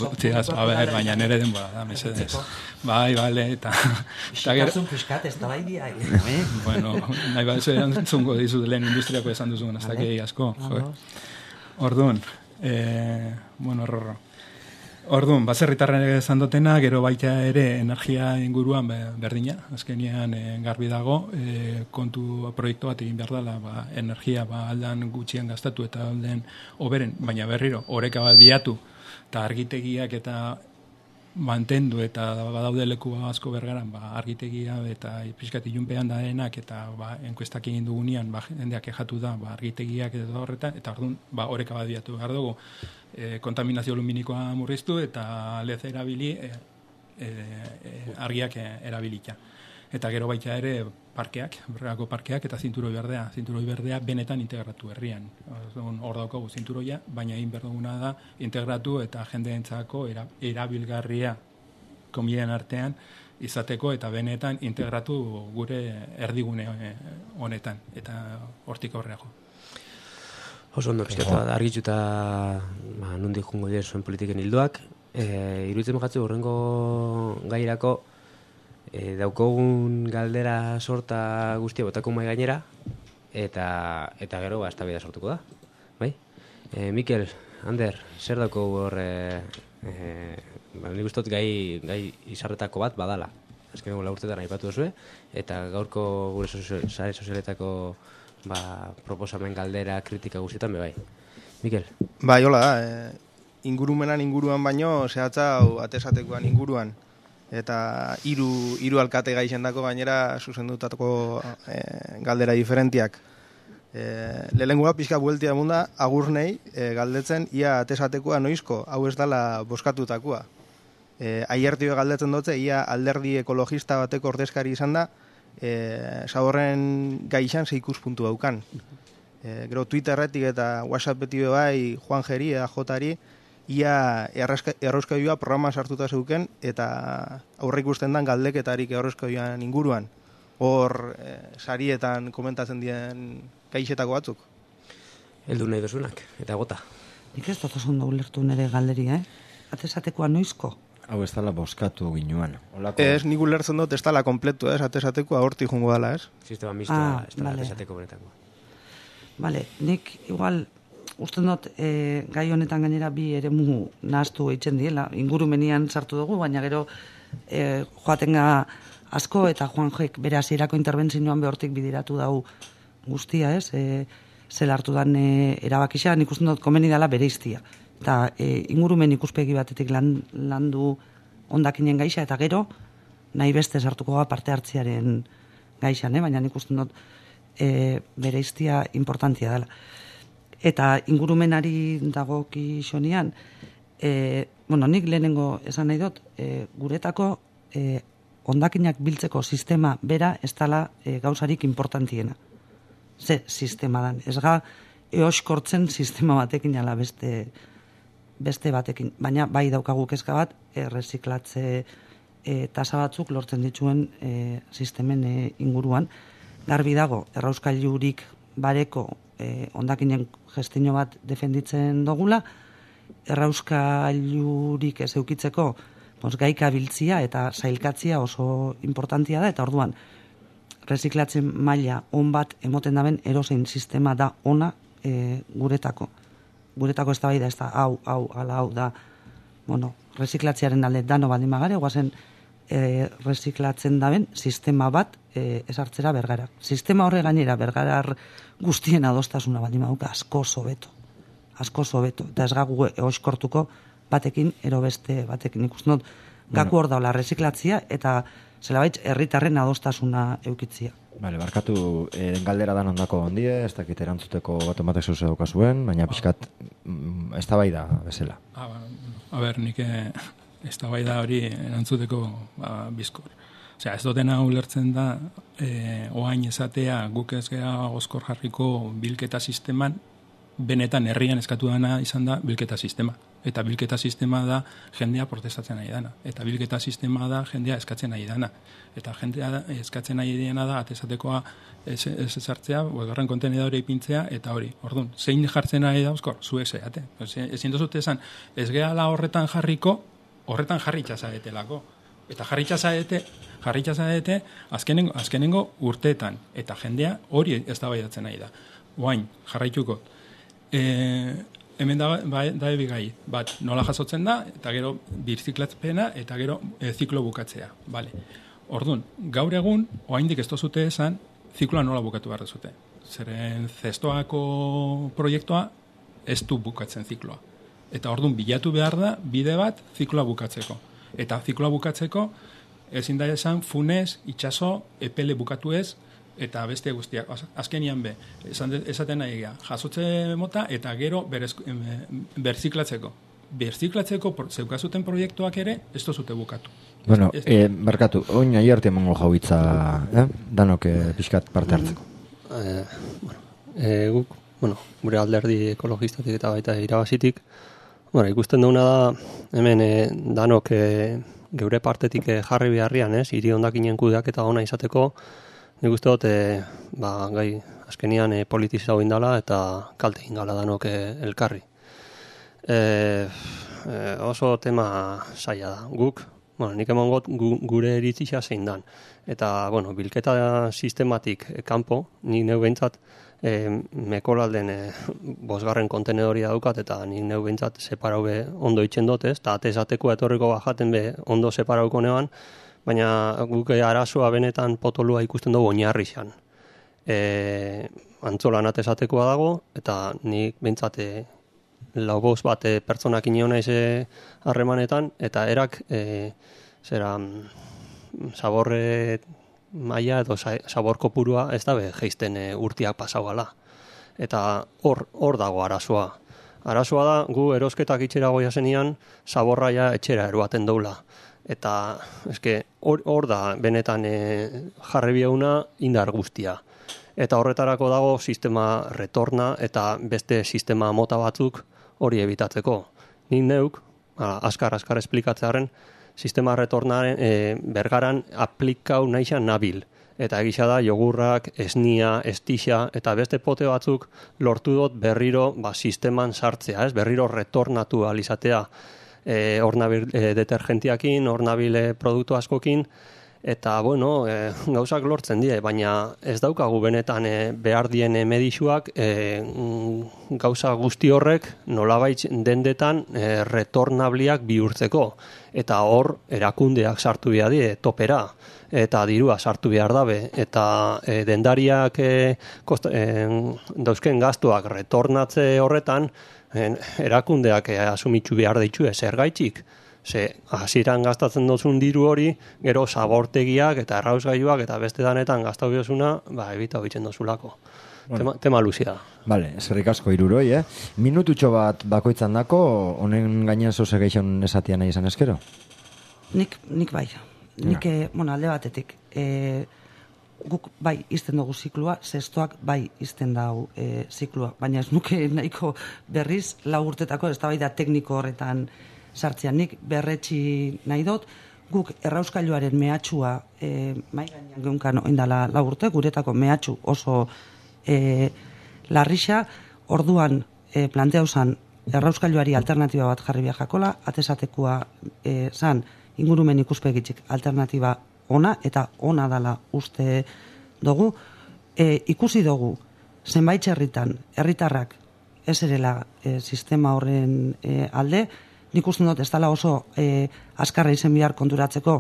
Utziaz, a ber, baina nere denbora da, mesedez. Bai, bale, eta... Xikazun piskat, ez da bai biai. Bueno, nahi bat ez entzungo dizut lehen industriako esan duzun, ez dakei asko. Orduan, eh, bueno, horro. Orduan, baserritarren esan dutena, gero baita ere energia inguruan berdina, azkenean e, garbi dago, e, kontu proiektu bat egin behar dela, ba, energia ba, aldan gutxien gastatu eta alden oberen, baina berriro, oreka bat biatu, eta argitegiak eta mantendu eta badaude leku asko Bergaran, ba, argitegia eta pixkat ilunpean daenak eta ba, enkuestak egin dugunean ba, jendeak kexatu da ba, argitegiak eta horretan, eta orduan ba, oreka badiatu behar dugu e, kontaminazio luminikoa murriztu eta lez erabili e, e, e, argiak erabilita. Eta gero baita ere parkeak, Bergako parkeak eta zinturoi berdea. Zinturoi berdea benetan integratu herrian. Hor daukagu zinturoia, baina egin behar duguna da integratu eta jendeentzako era, erabilgarria komilen artean izateko eta benetan integratu gure erdigune honetan eta hortik aurreago. Oso ondo pizkatu da argituta ba nondik joango dira zuen politiken hildoak. Eh, iruditzen jatzu horrengo gairako E, daukogun galdera sorta guztia botako mai gainera eta eta gero ba eztabaida sortuko da. Bai? E, Mikel, Ander, zer dauko hor eh e, ba nik ustot gai gai izarretako bat badala. Azkeneko lau urtetan aipatu duzue eta gaurko gure sare sozialetako ba proposamen galdera kritika guztietan be bai. Mikel. Bai, hola da. E, ingurumenan inguruan baino zehatza atesatekoan inguruan. Eta hiru hiru alkate gai izendako gainera zuzendutako e, galdera diferentiak. E, Lehenengoa pixka bueltia munda agurnei e, galdetzen ia atesatekoa noizko, hau ez dala boskatutakoa. E, Aiertio galdetzen dutze ia alderdi ekologista bateko ordezkari izan da, e, zaborren gai izan ze ikuspuntu daukan. E, gero Twitterretik eta WhatsAppetik bai Juan Jeri eta Jotari ia errauskailua programa sartuta zeuken eta aurre ikusten dan galdeketarik errauskailuan inguruan. Hor e, sarietan komentatzen dien gaixetako batzuk. Heldu nahi dozunak, eta gota. Nik ez dut oso ondo ulertu nire galderia, eh? Atesatekoa noizko? Hau ez dala boskatu ginuan. Olako... Ez, nik ulertzen dut ez dala kompletu, ez? Atesatekoa horti jungo dala, ez? Sistema mistoa, ah, ez dala vale. atesateko benetakoa. Vale, nik igual... Usten dut, e, gai honetan gainera bi eremu nahaztu eitzen diela, ingurumenian sartu dugu, baina gero e, joatenga asko eta Juan Joek bere hasierako interbentzioan behortik bidiratu dau guztia, ez? E, zel hartu dan e, erabakisa, nik usten dut komeni dela bere iztia. Eta e, ingurumen ikuspegi batetik lan, landu ondakinen gaixa, eta gero nahi beste sartuko ga parte hartziaren gaixan, eh? Baina nik usten dut e, bere iztia importantia dela. Eta ingurumenari dagoki xonean, e, bueno, nik lehenengo esan nahi dut, e, guretako e, ondakinak biltzeko sistema bera ez dela e, gauzarik importantiena. Ze sistema dan. Ez ga eoskortzen sistema batekin ala beste, beste batekin. Baina bai daukagu kezka bat, erreziklatze e, tasa batzuk lortzen dituen e, sistemen e, inguruan. Garbi dago, errauskailurik bareko e, ondakinen gestio bat defenditzen dogula, errauskailurik ez eukitzeko pos, gaika biltzia eta sailkatzia oso importantia da, eta orduan reziklatzen maila on bat emoten daben erosein sistema da ona e, guretako. Guretako ez da bai da, ez da hau, hau, ala hau da, bueno, reziklatziaren alde dano baldin magare, guazen e, reziklatzen daben sistema bat e, esartzera Bergara. Sistema horre gainera Bergarar guztien adostasuna baldin maduka asko sobeto. Asko sobeto. Eta ez gagu eoskortuko batekin, ero beste batekin. Ikusten dut, gaku hor daula reziklatzia eta zelabait herritarren adostasuna eukitzia. Vale, barkatu eh, galdera dan ondako ondie, ez dakit erantzuteko bat ematek zeuze daukazuen, baina pixkat mm, ez da bai da bezala. Ah, ba, a ber, nik ez da bai da hori erantzuteko ba, bizkor. Osea, ez dutena ulertzen da, e, oain esatea guk ez gea oskor jarriko bilketa sisteman, benetan herrian eskatu dana izan da bilketa sistema. Eta bilketa sistema da jendea protestatzen nahi dana. Eta bilketa sistema da jendea eskatzen nahi dana. Eta jendea eskatzen nahi dana da atesatekoa ez ezartzea, bosgarren kontenedore ipintzea, eta hori. Orduan, zein jartzen nahi da oskor? Zuek zeate. Ezin dozute esan, ez gehala horretan jarriko, horretan jarritza zaetelako. Eta jarritza zaete, jarritza zaete azkenengo, azkenengo urteetan. Eta jendea hori ez da baidatzen nahi da. Oain, jarraituko. E, hemen da, ba, da ebigai, bat nola jasotzen da, eta gero birziklatzpena, eta gero e, ziklo bukatzea. Vale. Orduan, gaur egun, oaindik ez dozute esan, zikloa nola bukatu behar dezute. Zeren zestoako proiektua ez du bukatzen zikloa. Eta orduan, bilatu behar da, bide bat zikloa bukatzeko. Eta zikloa bukatzeko, ezin da esan funez, itxaso, epele bukatu ez, eta beste guztiak. Azkenian be, esaten nahi gara, jasotze mota, eta gero berziklatzeko. Berziklatzeko zeukazuten proiektuak ere, ez dozute bukatu. Bueno, eh, barkatu, oin nahi arte emango jaubitza, eh? danok eh, pixkat parte hartzeko. Eh, bueno, eh, guk, bueno, gure alderdi ekologistatik eta baita irabazitik, bueno, ikusten duguna da, hemen eh, danok eh, geure partetik eh, jarri beharrian, ez, hiri hondakinen kudeak eta ona izateko, nik uste dut, eh, ba, gai, azkenian eh, politizau indala eta kalte indala danok eh, elkarri. Eh, eh, oso tema zaila da. Guk, bueno, nik eman got gu, gure iritzia zein dan. Eta, bueno, bilketa sistematik eh, kanpo, nik neu behintzat, eh, mekolalden eh, bosgarren kontenedoria daukat, eta nik neu behintzat separau be ondo itxen dut, ez? Eta atezateko etorriko bajaten be ondo separauko neban, baina guk arazoa benetan potolua ikusten dugu oinarri xan. E, antzolan atezatekoa dago, eta nik behintzat e, lau bost bat e, pertsonak ineo naiz harremanetan, eta erak e, zera zaborre maila edo zabor kopurua ez da be geisten e, urtiak pasau gala. Eta hor hor dago arazoa. Arazoa da, gu erosketak itxera goia zenian, zaborraia etxera eroaten doula. Eta eske hor, hor da benetan e, jarri bieuna indar guztia. Eta horretarako dago sistema retorna eta beste sistema mota batzuk hori ebitatzeko. Nik neuk, askar-askar esplikatzearen, sistema retornaren e, bergaran aplikau naixan nabil. Eta egisa da jogurrak, esnia, estixa eta beste pote batzuk lortu dut berriro ba, sisteman sartzea, ez? Berriro retornatu alizatea. E, hor nabil e, detergentiakin, hor nabil e, produktu askokin, eta, bueno, e, gauzak lortzen die, baina ez daukagu benetan e, behar dien e, medixuak e, gauza guzti horrek nolabait dendetan e, retornabliak bihurtzeko. Eta hor erakundeak sartu behar die, topera, eta dirua sartu behar dabe, eta e, dendariak e, kost, e, dauzken gastuak retornatze horretan, En, erakundeak eh, asumitzu behar ditu zer gaitxik. Ze hasieran gastatzen dozun diru hori, gero zabortegiak eta errausgailuak eta beste danetan gastau biozuna, ba, ebita hoitzen dozulako. Bueno. Tema, tema luzia. Vale, eskerrik asko hiruroi, eh? Minututxo bat bakoitzan dako, honen gainean zoze geixon esatia nahi izan eskero? Nik, nik bai. Nik, ja. eh, bueno, alde batetik. Eh, guk bai izten dugu ziklua, zestoak bai izten dugu e, ziklua, baina ez nuke nahiko berriz lau urtetako ez da bai da tekniko horretan sartzean. Nik berretxi nahi dut, guk errauskailuaren mehatxua e, mai gainean geunkan oindala lau urte, guretako mehatxu oso e, larrixa, orduan e, planteau zan errauskailuari alternatiba bat jarri behar jakola, atesatekoa e, zan ingurumen ikuspegitzik alternatiba ona, eta ona dala uste dugu, e, ikusi dugu, zenbait herritan, herritarrak ez erela e, sistema horren e, alde, nik uste dut ez dala oso e, askarra izen bihar konturatzeko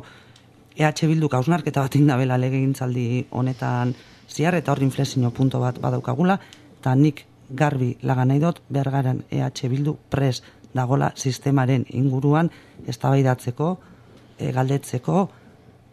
E H Bilduk hausnarketa bat indabela legegintzaldi honetan ziar, eta hor inflexio punto bat badaukagula, eta nik garbi laga nahi dut, bergaran E H Bildu pres dagola sistemaren inguruan eztabaidatzeko, e, galdetzeko,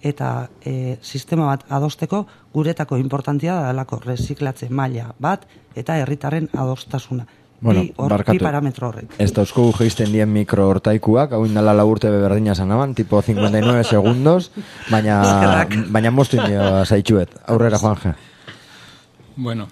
eta e, sistema bat adosteko guretako importantia da dalako reziklatze maila bat eta herritarren adostasuna. Bueno, bi, or, bi parametro horrek. Ez dauzko geisten dien mikro hortaikuak, hau indala laburte beberdina zanaban, tipo cincuenta y nueve segundos, baina, baina moztu indio zaitxuet. Aurrera, Juanje. Bueno,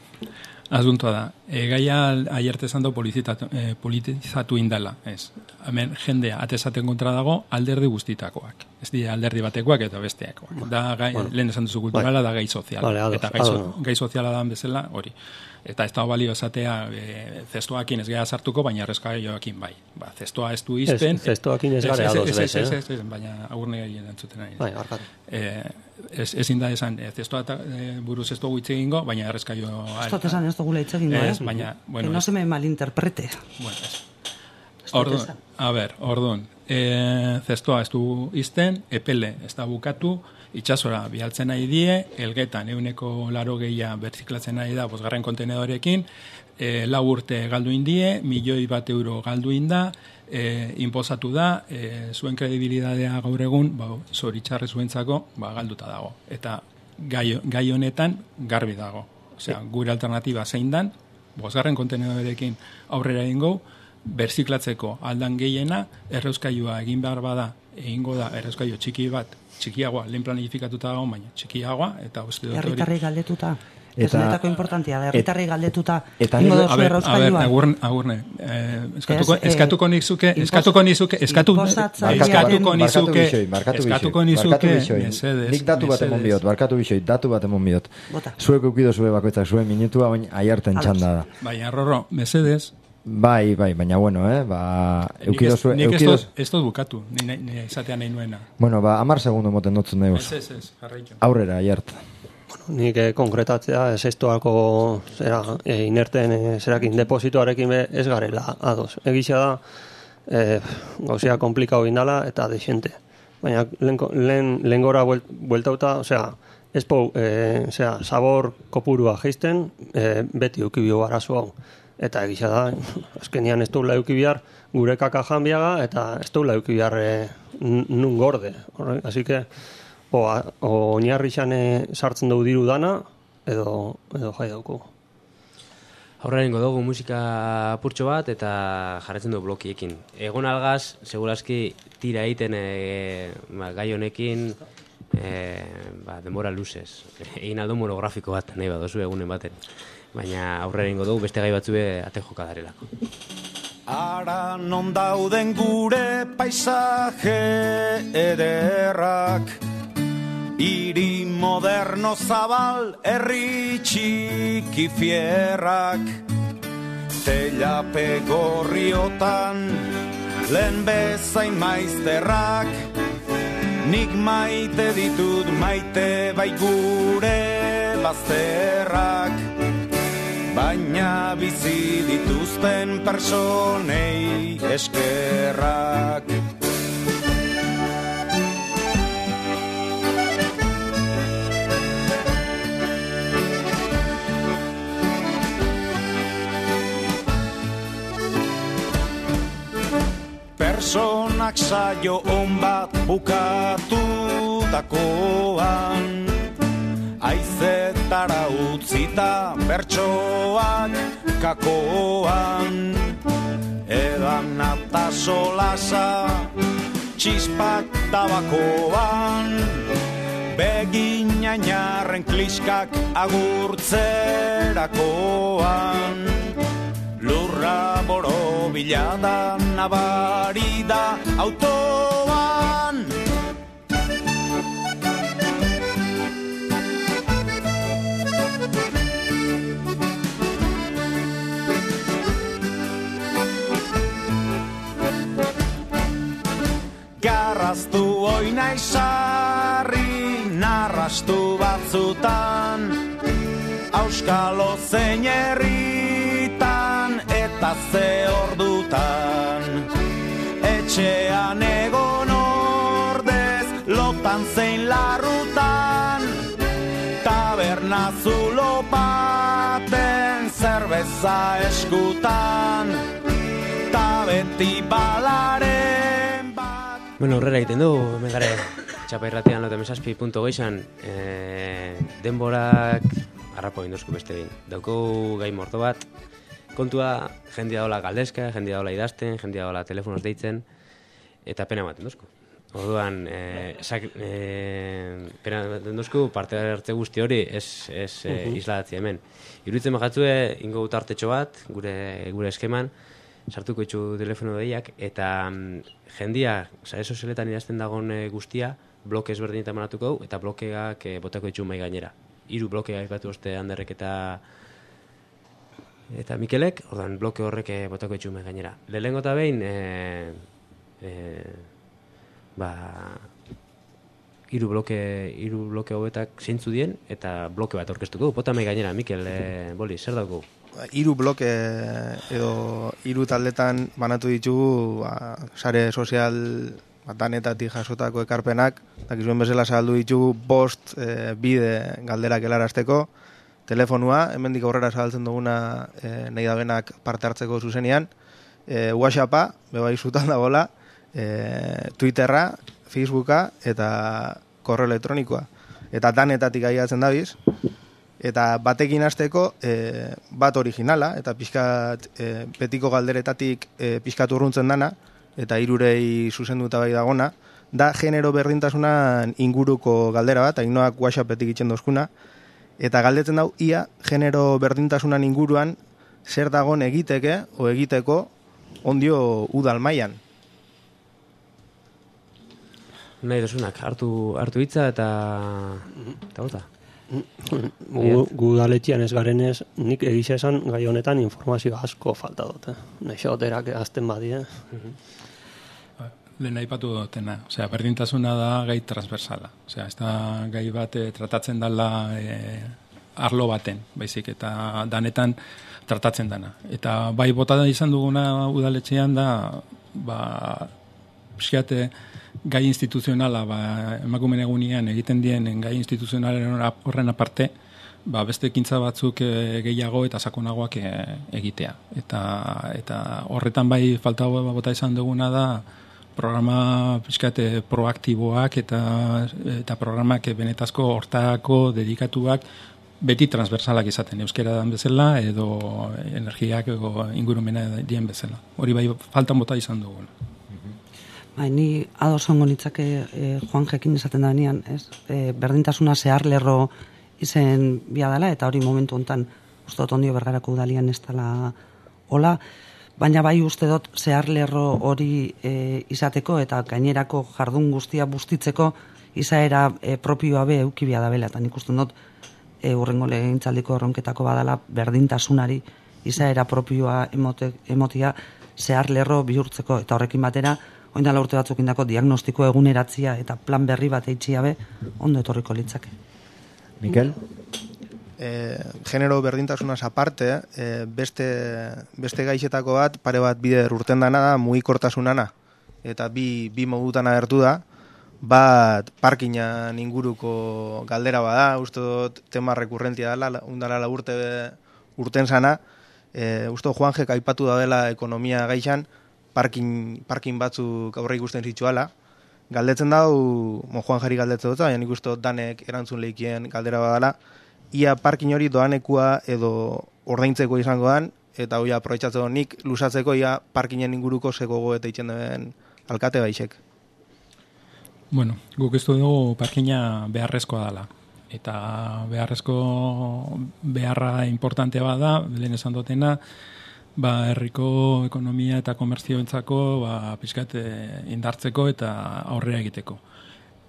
asuntoa da. E, gaia aierte zando e, politizatu indala. Ez. Hemen jendea atesaten kontra dago alderdi guztitakoak. Ez dira alderdi batekoak eta besteakoak. Da gai, bueno, lehen esan duzu kulturala, da gai soziala. Vale, eta gai, so, gai soziala da bezala hori. Eta ez da balio esatea e, zestoakin ez gara sartuko, baina errezkaioakin bai. Ba, zestoa ez du izten. Zestoakin ez gara ados bez, ez, ez, ez, baina agurne gehien entzuten nahi. Bai, barkatu. E, ez, ezin da esan, e, zestoa eta e, buruz ez dugu hitz egingo, baina errezkaio... Ez dut esan ez dugu hitz egingo, eh? Baina, bueno, que no se me malinterprete. Bueno, ez. Orduan, a ber, orduan, e, zestoa ez du izten, epele ez da bukatu, itxasora bialtzen nahi die, elgetan euneko laro gehia berziklatzen nahi da bosgarren kontenedorekin, e, lau urte galdu indie, milioi bat euro galdu inda, e, inposatu da, e, zuen kredibilidadea gaur egun, ba, zoritxarre zuentzako, ba, galduta dago. Eta gai, gai honetan garbi dago. Osea, gure alternatiba zein dan, bosgarren kontenedorekin aurrera egingo, berziklatzeko aldan gehiena, erreuskailua egin behar bada, egingo da erreuskailu txiki bat, txikiagoa, lehen planifikatuta dago, baina txikiagoa, eta uste dut hori... Herritarrei galdetuta. Eta- Ez netako importantia da, herritarrei galdetuta. eta ingo nire- dozu A ber, a ber, errauskailua. agurne, agurne. Eh, eskatuko, Ez, eh, eskatuko nizuke, inpos- eskatuko nizuke, eskatu, inposatzailearen- eskatuko Barkatu nizuke, bixoi, barkatu eskatuko bixoi, barkatu nizuke, bixoi. mesedes, Nik datu bat emon mesedes. biot, barkatu bixoi, datu bat emon biot. Bota. Zuek eukido zue bakoitzak zuen minutua, baina aiarten Ados. txanda da. Baina, Rorro, mesedes, Bai, bai, baina bueno, eh, ba, nik eukido ez, zue, nik ez eukido... dut- ez dut bukatu, ni, ni, ni izatea nahi nuena. Bueno, ba, amar segundo moten dutzen Ez, deuz. ez, ez, jarraitu. Aurrera, aiart. Nik eh, konkretatzea ez estuako zera, e, inerten e, zerakin depositoarekin be ez garela ados. Egisa da e, gauzea komplikau indala eta desente. Baina lehen, lehen, lehen gora buelt, bueltauta, osea, ez pou, e, osea, sabor kopurua geisten, e, beti eukibio arazo hau. Eta egisa da, azkenian ez duela eukibihar gure kaka janbiaga eta ez duela eukibihar e, nun gorde. Horre, así que, o, a- o oinarri xane sartzen dugu diru dana, edo, edo jai dauku. Aurrera ingo dugu musika apurtxo bat eta jarretzen du blokiekin. Egon algaz, seguraski tira egiten e, ba, gai honekin e, ba, denbora luzez. Egin aldo monografiko bat, nahi badozu egunen baten. Baina aurrera ingo dugu beste gai batzue ate joka darelako. Ara non dauden gure paisaje ederrak, hiri moderno zabal herri txiki fierrak, teilape gorriotan lehen bezain maizterrak, nik maite ditut maite bai gure bazterrak, baina bizi dituzten personei eskerrak. Personak saio on bat bukatu dakoan, aizetara utzita bertsoak kakoan, edan eta solasa txispak tabakoan, beginainarren kliskak agurtzerakoan, lurra borobila da nabari da autoan. Garraztu oina izarri narrastu batzutan, auskalo zein herritan eta ze ordutan, etxean egon ordez lotan zein larrutan, taberna zulo baten zerbeza eskutan, ta beti balaren bat. Bueno, aurrera egiten du, hemen gare txapa irratian lotemesazpi punto geixan e, denborak harrapo induzku beste behin. Dauko gai morto bat, kontua jendia dola galdezka, jendia dola idazten, jendia dola telefonoz deitzen, eta pena ematen duzku. Orduan, e, sak, e, pena ematen duzku, parte hartze guzti hori ez, ez e, isladatzi hemen. Iruditzen bakatzue, ingo tartetxo bat, gure, gure eskeman, sartuko itxu telefono deiak, eta mm, jendia, sare sozialetan idazten dagoen e, guztia, bloke ezberdinetan manatuko hau, eta blokeak e, botako itxu mai gainera. Hiru blokeak aipatu oste Anderrek eta eta Mikelek, ordan bloke horrek e, botako itxu mai gainera. Lehenengo eta behin, e, e, ba, hiru bloke, hiru bloke hauetak zeintzu dien, eta bloke bat aurkeztuko. Bota mai gainera, Mikel, e, boli, zer dauko? Hiru bloke edo hiru taldetan banatu ditugu ba, sare sozial danetatik jasotako ekarpenak, dakizuen bezala saldu ditugu bost e, bide galderak helarazteko, telefonua, hemendik aurrera zabaltzen duguna e, nahi dabenak parte hartzeko zuzenean, e, WhatsAppa, bebai zutan dagoela, e, Twitterra, Facebooka eta korreo elektronikoa. Eta danetatik aiatzen dabiz, eta batekin hasteko e, bat originala, eta pixkat e, betiko galderetatik e, pixkat urruntzen dana, eta hirurei zuzenduta bai dagona, da genero berdintasunan inguruko galdera bat, Ainhoak WhatsAppetik itzen dozkuna, eta galdetzen dau, ia genero berdintasunan inguruan zer dagon egiteke o egiteko ondio udal mailan. Nahi dozunak, hartu, hartu hitza eta... eta bota. Gu, gu daletxian ez garenez, nik egisa esan gai honetan informazio asko falta dute. Naixo oterak azten badie. Lehen aipatu dutena, osea, berdintasuna da gai transversala. Osea, ez da gai bat eh, tratatzen dela eh, arlo baten, baizik, eta danetan tratatzen dana. Eta bai bota izan duguna udaletxean da, ba, pixkate, gai instituzionala, ba, emakumeen egunean egiten dien gai instituzionalen horren aparte, ba, beste ekintza batzuk e, gehiago eta sakonagoak e, egitea. Eta, eta horretan bai falta bota izan duguna da, programa pixkate proaktiboak eta, eta programak benetazko hortako dedikatuak beti transversalak izaten, euskera dan bezala edo energiak edo ingurumena dien bezala. Hori bai faltan bota izan duguna. Bai, ni ados ongo nitzake e, Juan Jekin esaten da nian, ez? E, berdintasuna zehar lerro izen bia dela, eta hori momentu hontan uste dut ondio Bergarako udalian ez dela hola, baina bai uste dut zehar lerro hori e, izateko eta gainerako jardun guztia bustitzeko izaera e, propioa be eukibia da bela, eta nik uste dut e, urrengo legegintzaldiko erronketako badala berdintasunari izaera propioa emote, emotia zehar lerro bihurtzeko, eta horrekin batera oindala urte batzuk indako diagnostiko eguneratzia eta plan berri bat eitxia be, ondo etorriko litzake. Mikel? E, genero berdintasunaz aparte, e, beste, beste gaixetako bat, pare bat bider urten dana da, mugikortasunana. Eta bi, bi modutan agertu da, bat parkinan inguruko galdera bada, uste dut tema rekurrentia dela, undala la urte urten sana, e, uste dut Juanjek aipatu da dela ekonomia gaixan, parkin, parkin batzuk aurre ikusten zituala. Galdetzen dau, mo Juan Jari galdetzen dut, baina nik uste dut danek erantzun lehikien galdera badala, ia parkin hori doanekua edo ordaintzeko izango dan, eta hori aprobetxatzeko nik lusatzeko ia parkinen inguruko zegogo eta itxen den alkate baixek. Bueno, guk ez dugu parkina beharrezkoa dela. Eta beharrezko beharra importantea bada, lehen esan dutena, ba, herriko ekonomia eta komerzioentzako ba, pixkat indartzeko eta aurrera egiteko.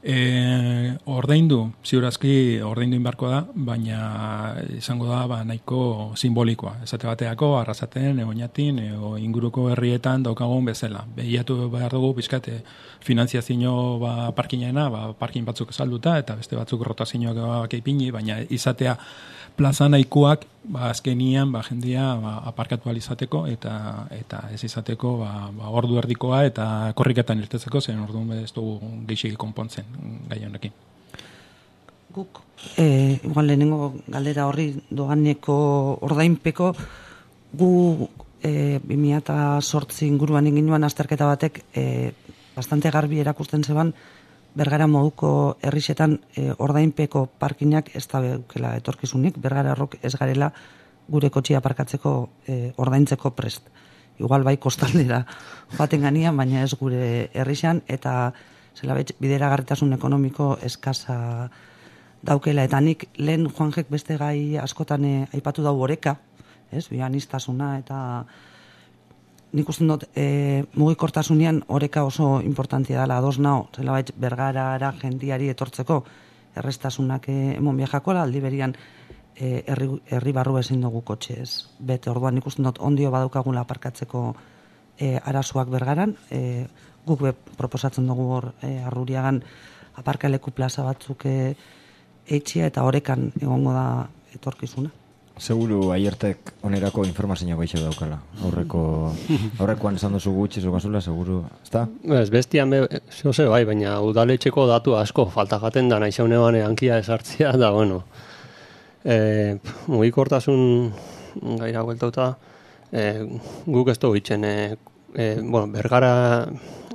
E, ordaindu, ziurazki ordaindu inbarko da, baina izango da ba, nahiko simbolikoa. Esate bateako, arrasaten, egoinatin, ego inguruko herrietan daukagun bezala. Behiatu behar dugu pixkate finantziazio ba, parkinena, ba, parkin batzuk salduta eta beste batzuk rotazioak eipini, baina izatea plaza nahikoak ba, azkenian ba, jendia ba, aparkatu alizateko eta eta ez izateko ba, ba, ordu erdikoa eta korriketan irtetzeko, zen orduan ez dugu geixik konpontzen gai honekin. Guk, e, igual lehenengo galdera horri doaneko ordainpeko, gu e, bi mila zortzi inguruan inginuan azterketa batek e, bastante garbi erakusten zeban, Bergara moduko herrixetan e, ordainpeko parkinak ez da beukela etorkizunik, Bergara errok ez garela gure kotxia parkatzeko e, ordaintzeko prest. Igual bai kostaldera baten ganian, baina ez gure herrixan, eta zela betx, bideragarritasun ekonomiko eskasa daukela. Eta nik lehen Juanjek beste gai askotan e, aipatu dau oreka, ez, bianistasuna eta... Nik uste dut, e, mugikortasunean oreka oso importantia dela, ados nao, zela baitz Bergarara jendiari etortzeko errestasunak e, emon biajakola, aldi berian e, herri, herri barru ezin dugu kotxez. Bete orduan nik uste dut ondio badaukagula aparkatzeko e, arazoak Bergaran, e, guk be proposatzen dugu hor e, Arruriagan aparkaleku plaza batzuk e, eitxia eta orekan egongo da etorkizuna. Seguru aiertek onerako informazioa gaixo daukala. Aurreko aurrekoan esan duzu gutxi zukazula, seguru, ezta? Ez, bestian be, zehose bai, baina udaletxeko datu asko falta jaten da, nahi zaune bane hankia esartzia, da, bueno, E, mugikortasun gaira gueltauta, e, guk ez dugu itxen, e, e, bueno, bergara,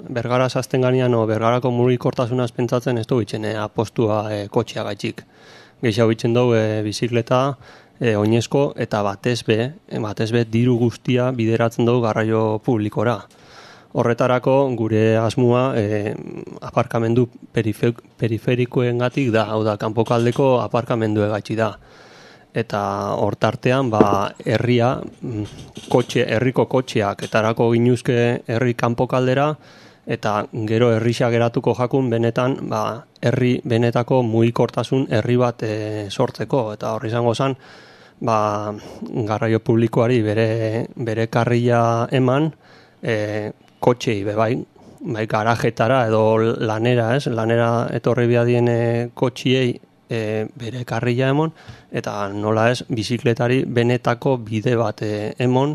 bergara zazten ganean, o bergarako mugikortasunaz pentsatzen ez dugu itxen, e, apostua e, kotxea gaitxik. Gehiago itxen dugu e, bizikleta, e, oinezko, eta batez be, e, batez be diru guztia bideratzen dugu garraio publikora. Horretarako gure asmoa e, aparkamendu perife, periferikoengatik da, hau da, kanpokaldeko aparkamendu egatxi da. Eta hortartean, ba, herria, kotxe, herriko kotxeak, etarako ginuzke herri kanpokaldera, eta gero herrisa geratuko jakun benetan, ba, herri benetako mugikortasun herri bat e, sortzeko, eta horri izango zen, ba, garraio publikoari bere, bere karrila eman, e, kotxei, be, bai, bai, garajetara edo lanera, ez, lanera etorri biadien e, kotxiei e, bere karrila emon, eta nola ez, bizikletari benetako bide bat e, emon,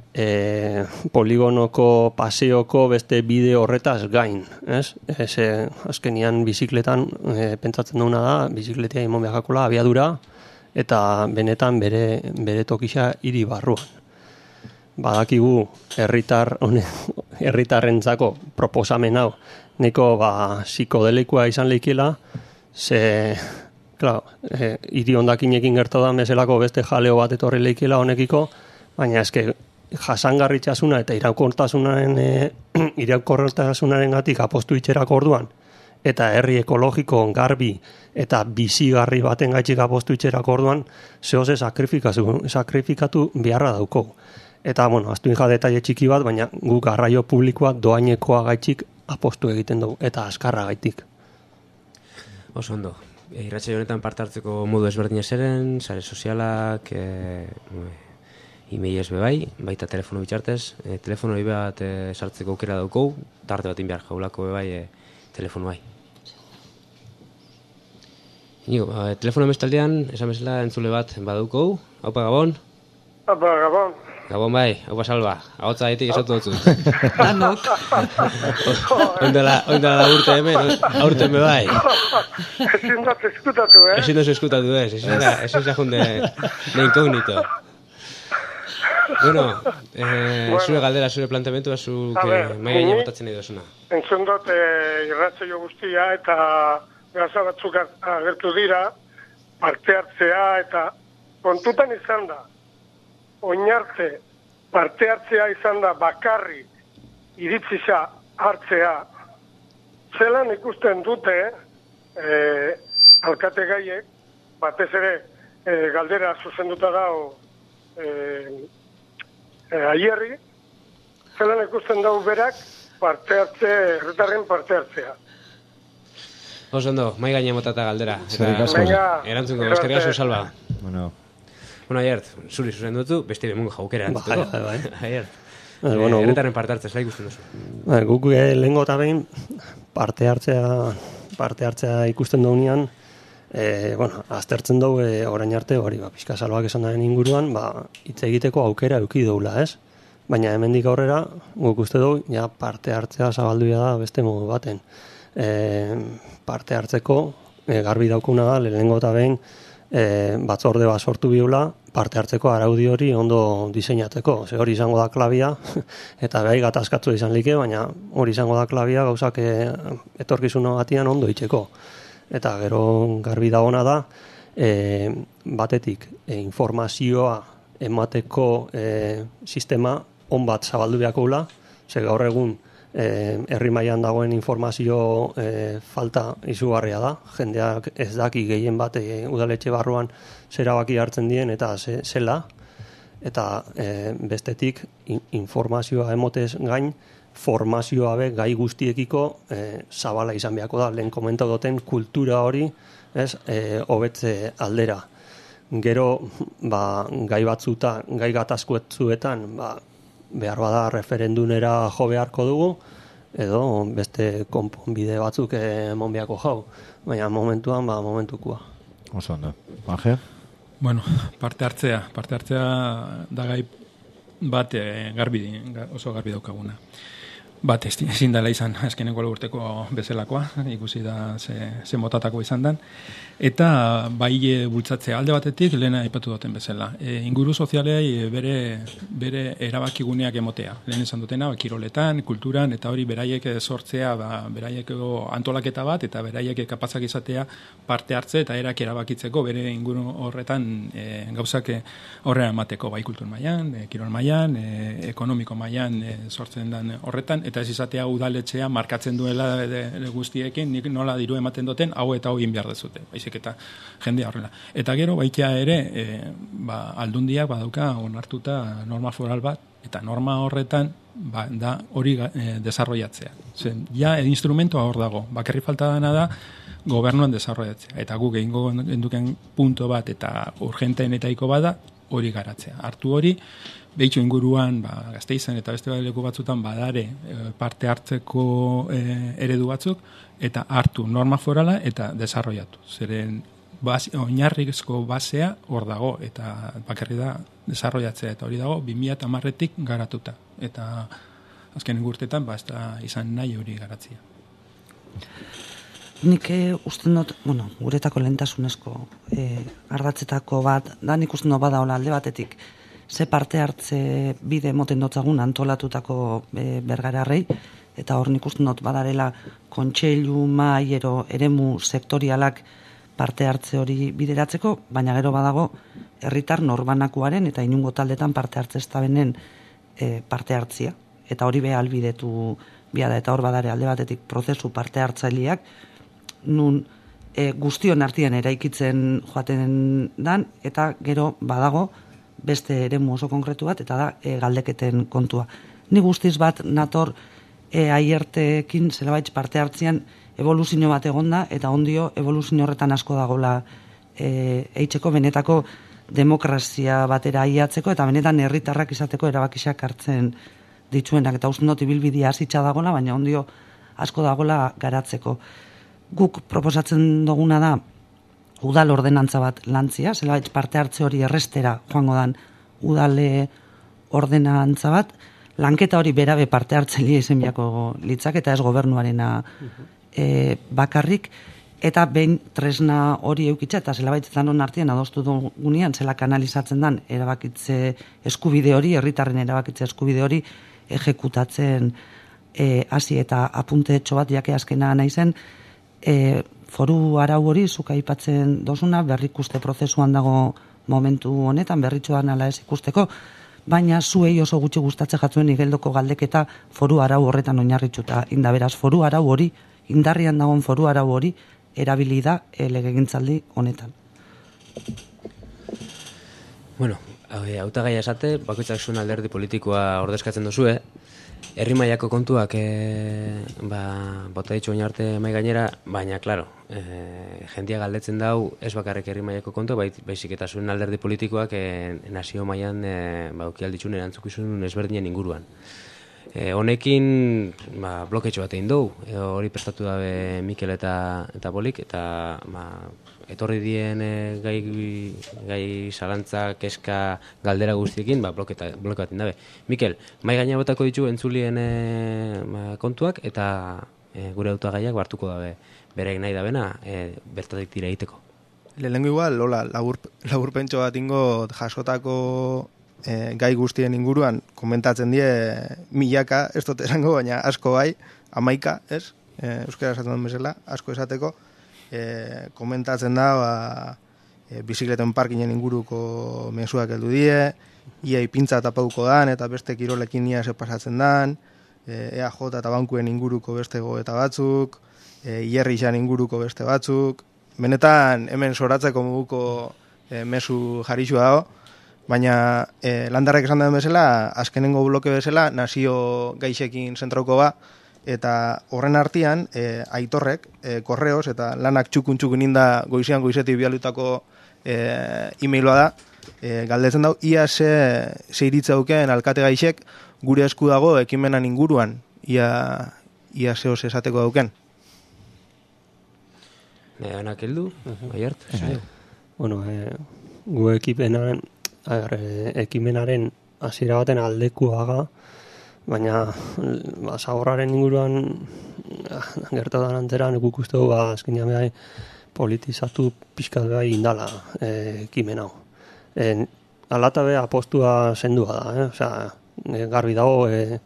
e, poligonoko paseoko beste bide horretaz gain, ez? Ez, e, azkenian bizikletan e, pentsatzen duguna da, bizikletea imon behakola abiadura, eta benetan bere, bere tokisa hiri barruan. Badakigu herritar herritarrentzako proposamen hau neko ba psikodelikoa izan leikela, ze claro, eh, hiri hondakinekin gertu da meselako beste jaleo bat etorri leikela honekiko, baina eske jasangarritasuna eta iraunkortasunaren e, iraunkortasunarengatik apostu itxerako orduan eta herri ekologiko garbi eta bizigarri baten gaitxik apostu itxerako orduan zehoze sakrifikatu, sakrifikatu beharra dauko. Eta, bueno, aztuin ja detaile txiki bat, baina gu garraio publikoa doainekoa gaitxik apostu egiten dugu, eta azkarra gaitik. Oso ondo. E, irratsaio honetan parte hartzeko modu ezberdina zeren, sare sozialak, e, e-mailez bebai, baita telefono bitxartez, e, telefono hori bat e, sartzeko aukera daukou, tarte bat inbiar jaulako bebai e, telefono bai. Inigo, e, telefono emestaldean, esan bezala entzule bat badaukou, haupa Gabon? Haupa Gabon. Gabon bai, haupa Salva, ahotza gaitik esatu dutzu. Danok. Oindela la urte hemen, aurten be bai. Ezin dut eskutatu, eh? Ezin dut eskutatu, ez, ezin da, ezin da junde de incognito. Bueno, eh, bueno, zure galdera, zure planteamentua, zu mai gaina botatzen nahi duzuna. Entzun dut eh, irratsaio guztia eta gauza batzuk agertu dira, parte hartzea eta kontutan izan da. Oinarte parte hartzea izan da bakarri iritzisa hartzea. Zelan ikusten dute eh, alkate gaiek, batez ere eh, galdera zuzenduta dago eh, eh, aierri, zelan ikusten dago berak parte hartze, herritarren parte hartzea. Oso ondo, mai gaina motata galdera. Eskerrik asko. Erantzungo, eskerrik asko Salva. Bueno. Bueno, Aiert, zuri zuzen dutu, beste bemungo jaukera antzutuko. Bai, bai, bai. Aiert, eh, bueno, erretaren parte hartzea, zela ikusten duzu. Bai, guk eh, lehengo eta behin parte hartzea, parte hartzea ikusten dugunean, eh, bueno, aztertzen dugu eh, orain arte, hori, ba, pixka Salvak esan daren inguruan, ba, hitz egiteko aukera eduki dugula, ez? Baina hemendik aurrera, guk uste dugu, ja, parte hartzea zabalduia da beste modu baten. E, parte hartzeko, e, garbi daukuna da, lehengo eta behin, e, batzorde bat sortu biula, parte hartzeko araudi hori ondo diseinatzeko. Ze hori izango da klabia, eta behai gatazkatzu izan like, baina hori izango da klabia gauzak e, etorkizuna batian ondo itxeko. Eta gero garbi dagoena da, e, batetik e, informazioa emateko e, sistema on bat zabaldu behakoula, ze gaur egun E, herri mailan dagoen informazio e, falta izugarria da. Jendeak ez daki gehien bat e, udaletxe barruan zerabaki hartzen dien eta ze, zela. Eta e, bestetik in, informazioa emotez gain, formazioa be gai guztiekiko e, zabala izan beharko da. Lehen komentau duten kultura hori ez e, hobetze aldera. Gero ba, gai batzuta, gai gatazkuetzuetan, ba, behar bada referendunera jo beharko dugu, edo beste konponbide batzuk emon beharko jau. Baina momentuan, ba, momentukua. Oso ondo. Baje? Bueno, parte hartzea. Parte hartzea da gai bat e, garbi, oso garbi daukaguna. bat ezin dela izan azkeneko urteko bezalakoa, ikusi da ze, ze motatako izan den, eta bai e, bultzatzea alde batetik lehena aipatu duten bezala. E, inguru sozialei bere, bere erabakiguneak emotea. Lehen esan dutena, ba, kiroletan, kulturan, eta hori beraiek sortzea, ba, beraiek antolaketa bat, eta beraiek kapazak izatea parte hartze, eta erak erabakitzeko bere inguru horretan e, gauzak horrean emateko, bai kultur mailan, e, kirol mailan, e, ekonomiko mailan e, sortzen den horretan, eta ez izatea udaletxea markatzen duela de, de guztiekin, nik nola diru ematen duten, hau eta hau egin behar dezute, baizik eta jendea horrela. Eta gero, baitea ere, e, ba, aldundiak badauka onartuta norma foral bat, eta norma horretan ba, da hori e, desarrollatzea. Zen, ja, instrumentoa hor dago, bakarri falta dana da, gobernuan desarrollatzea. Eta guk egingo genduken punto bat, eta urgenteenetaiko bada, hori garatzea. Hartu hori, behitxo inguruan, ba, Gasteizen eta beste leku batzutan badare e, parte hartzeko e, eredu batzuk, eta hartu norma forala eta desarrollatu. Zeren bas, oinarrizko basea hor dago, eta bakarri da desarrollatzea, eta hori dago bi mila hamarretik garatuta. Eta azken urtetan, ba, ez da izan nahi hori garatzea. Nik usten dut, bueno, guretako lehentasunezko e, ardatzetako bat, da nik usten dut bada hola alde batetik, ze parte hartze bide moten dotzagun antolatutako e, bergararrei, eta hor nik usten dut badarela kontseilu maiero eremu sektorialak parte hartze hori bideratzeko, baina gero badago herritar norbanakuaren eta inungo taldetan parte hartze ez da benen e, parte hartzia, eta hori beha albidetu biada, eta hor badare alde batetik prozesu parte hartzaileak, nun e, guztion artean eraikitzen joaten dan, eta gero badago beste eremu oso konkretu bat, eta da e, galdeketen kontua. Ni guztiz bat nator e, aiertekin zelabaitz parte hartzean evoluzio bat egonda, eta ondio evoluzio horretan asko dagola e, eitzeko benetako demokrazia batera aiatzeko, eta benetan herritarrak izateko erabakisak hartzen dituenak, eta usten dut ibilbidea hasitza dagola, baina ondio asko dagola garatzeko. Guk proposatzen duguna da udal ordenantza bat lantzia, zelabait parte hartze hori errestera joango dan udale ordenantza bat, lanketa hori berabe parte hartzaile izen biako litzak, eta ez gobernuarena e, bakarrik, eta behin tresna hori eukitza, eta zelabait zanon artean adostu dugunean, zela kanalizatzen dan erabakitze eskubide hori, herritarren erabakitze eskubide hori ejekutatzen e, hasi eta apunte etxo bat, jake azkena nahi zen, E, foru arau hori zuk aipatzen dozuna berrikuste prozesuan dago momentu honetan, berritxoan ala ez ikusteko, baina zuei oso gutxi gustatzen jatzuen igeldoko galdeketa foru arau horretan oinarritxuta inda, beraz foru arau hori, indarrian dagoen foru arau hori erabili da e, legegintzaldi honetan. Bueno, hautagaia esate, bakoitzak zuen alderdi politikoa ordezkatzen dozue, herri mailako kontuak e, ba, bota ditxu baina arte mai gainera, baina, klaro, e, jendia galdetzen dau ez bakarrik herri mailako kontu, bai, baizik eta zuen alderdi politikoak e, nazio mailan e, ba, ukialditxun erantzukizun ezberdinen inguruan. E, honekin ba, bloketxo bat egin dugu, e, hori prestatu dabe Mikel eta, eta Bolik, eta ba, etorri dien e, gai, gai zalantza, keska, galdera guztiekin, ba, bloketa, blokeatin dabe. Mikel, mai gaina botako ditu entzulien e, ba, kontuak, eta e, gure hautagaiak hartuko dabe bereik nahi dabena, e, bertatik tira egiteko. Lehenengo igual, lola, labur, labur pentso bat ingo jasotako e, gai guztien inguruan komentatzen die milaka, ez dut esango, baina asko bai, amaika, ez? E, euskara esaten duen bezala, asko esateko, e, komentatzen da, ba, e, bizikleten parkinen inguruko mezuak heldu die, ia ipintza tapauko dan, eta beste kirolekin ia ze pasatzen dan, e, E A J eta bankuen inguruko beste goeta batzuk, e, Ierrixan inguruko beste batzuk, benetan hemen soratzeko moduko e, mezu jarixua dago, baina e, landarrek esan den bezala, azkenengo bloke bezala, nazio gaixekin zentrauko ba, eta horren artean, e, aitorrek, e, korreos, eta lanak txukun txukun inda goizean goizetik bialutako e, e-mailua da, e, galdetzen dau, ia ze, ze iritza duken alkate gaixek gure esku dago ekimenan inguruan, ia, ia zehoz esateko dauken. Anak heldu, Aiart? Bueno, e, gu ekimenaren, a ver, e, ekimenaren hasiera baten aldekuaga, baina ba, zaborraren inguruan gertatan anteran guk uste du ba, azkenean behar politizatu pixkat behar indala e, kimen hau. E, alata behar apostua zendua da, eh? Osea, e, garbi dago e,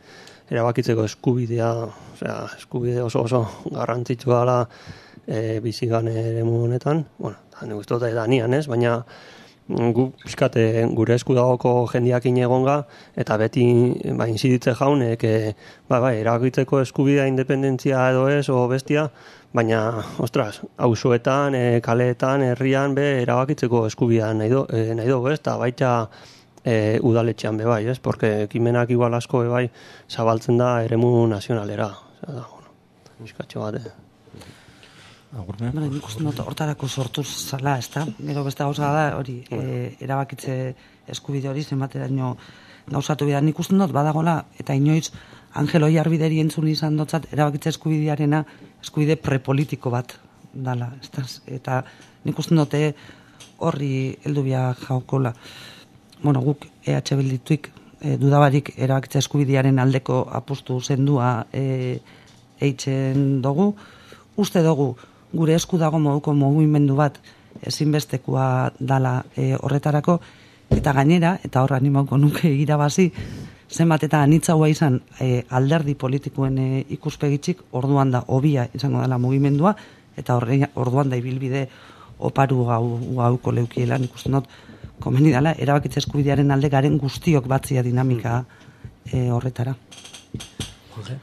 erabakitzeko eskubidea, osea, eskubide oso oso garrantzitsua dela e, bizigan eremu honetan, bueno, da nik uste dut da nian ez, baina gu pixkate gure esku dagoko jendiakin egonga, eta beti ba, inziditze jaunek, e, ba, ba, erabakitzeko eskubidea independentzia edo ez, o bestia, baina, ostras, auzoetan, e, kaleetan, herrian, be, erabakitzeko eskubidea nahi do, e, nahi dugu ez, eta baita e, udaletxean be bai, ez, porque ekimenak igual asko be bai zabaltzen da eremu nazionalera, osea, da, bueno, miskatxo bat, eh. Bueno, nik uste dut hortarako sortu zala, ez da? Gero beste gauza da, hori, e, erabakitze eskubide hori zenbateraino gauzatu bida. Nik uste dut badagola, eta inoiz Angelo Jarbideri entzun izan dotzat, erabakitze eskubidearena eskubide prepolitiko bat dala, ez da? Eta nik uste dut horri heldu bia jaukola. Bueno, guk E H Bildituik e, dudabarik erabakitze eskubidearen aldeko apustu zendua e, eitzen dugu. Uste dugu, gure esku dago moduko mugimendu bat ezinbestekoa dala e, horretarako, eta gainera, eta horra animauko nuke irabazi, zenbat eta anitzaua izan e, alderdi politikoen e, ikuspegitzik, orduan da hobia izango dela mugimendua, eta horre, orduan da ibilbide oparu gau, gauko leukiela, nik uste not, komeni dela, erabakitze eskubidearen alde garen guztiok batzia dinamika e, horretara. Okay.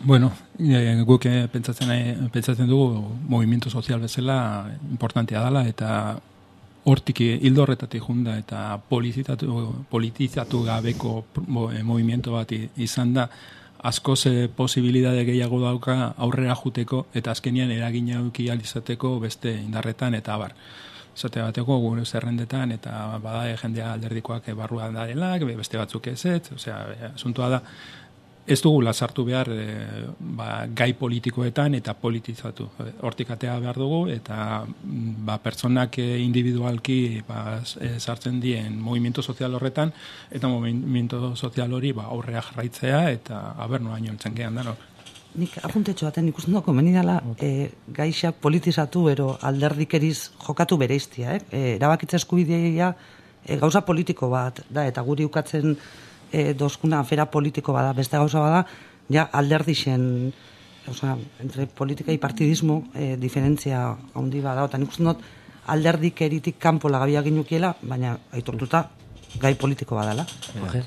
Bueno, e, guk e, pentsatzen, e, pentsatzen dugu movimiento sozial bezala importantea dela, eta hortik hildo horretatik junda eta politizatu, politizatu gabeko movimiento bat izan da, asko ze posibilidade gehiago dauka aurrera juteko eta azkenian eragina eduki ahal izateko beste indarretan eta abar. Zate bateko gure zerrendetan eta bada jendea alderdikoak barruan darela, beste batzuk ez ez, osea, asuntua da, ez dugula sartu behar e, ba, gai politikoetan eta politizatu. Hortik atea behar dugu eta ba, pertsonak individualki ba, sartzen dien movimiento sozial horretan eta movimiento sozial hori ba, aurrea jarraitzea eta aber noa noltzen gehan da. No? Nik apuntetxo baten ikusten dut komeni dela e, gaixak politizatu ero alderdikeriz jokatu bereiztia. Eh? E, erabakitza eskubidea e, gauza politiko bat da eta guri ukatzen E, dozkuna afera politiko bada, beste gauza bada, ja alderdixen, oza, entre politika y partidismo, e, diferentzia handi bada, eta nik uste dut alderdik eritik kanpo lagabia ginukiela, baina aitortuta gai politiko badala. Okay.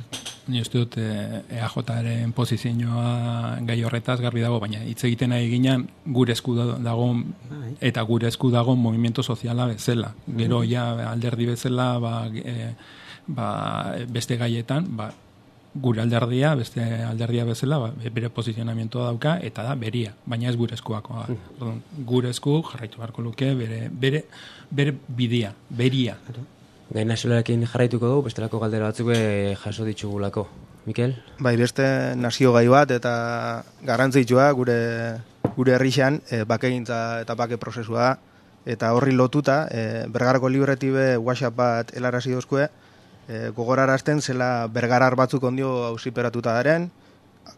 Ni uste dut e, E A Jaren posizioa gai horretaz garbi dago, baina hitz egiten ari ginen gure esku dago eta gure esku dago movimiento soziala bezala. Gero ja alderdi bezala ba, e, ba, beste gaietan, ba, gure alderdia, beste alderdia bezala, ba, bere posizionamientoa dauka, eta da beria, baina ez gure eskuako. Mm. Gure esku jarraitu beharko luke, bere, bere, bere bidea, beria. Gai nazionalekin jarraituko dugu, bestelako galdera batzuk jaso ditugulako. Mikel? Bai, beste nazio gai bat, eta garrantzitsua gure, gure herrixan, e, bakegintza eta bake prozesua, eta horri lotuta, e, Bergarako libretibe WhatsApp bat helarazi dozkue, E, gogorarazten zela bergarar batzuk ondio auziperatuta daren,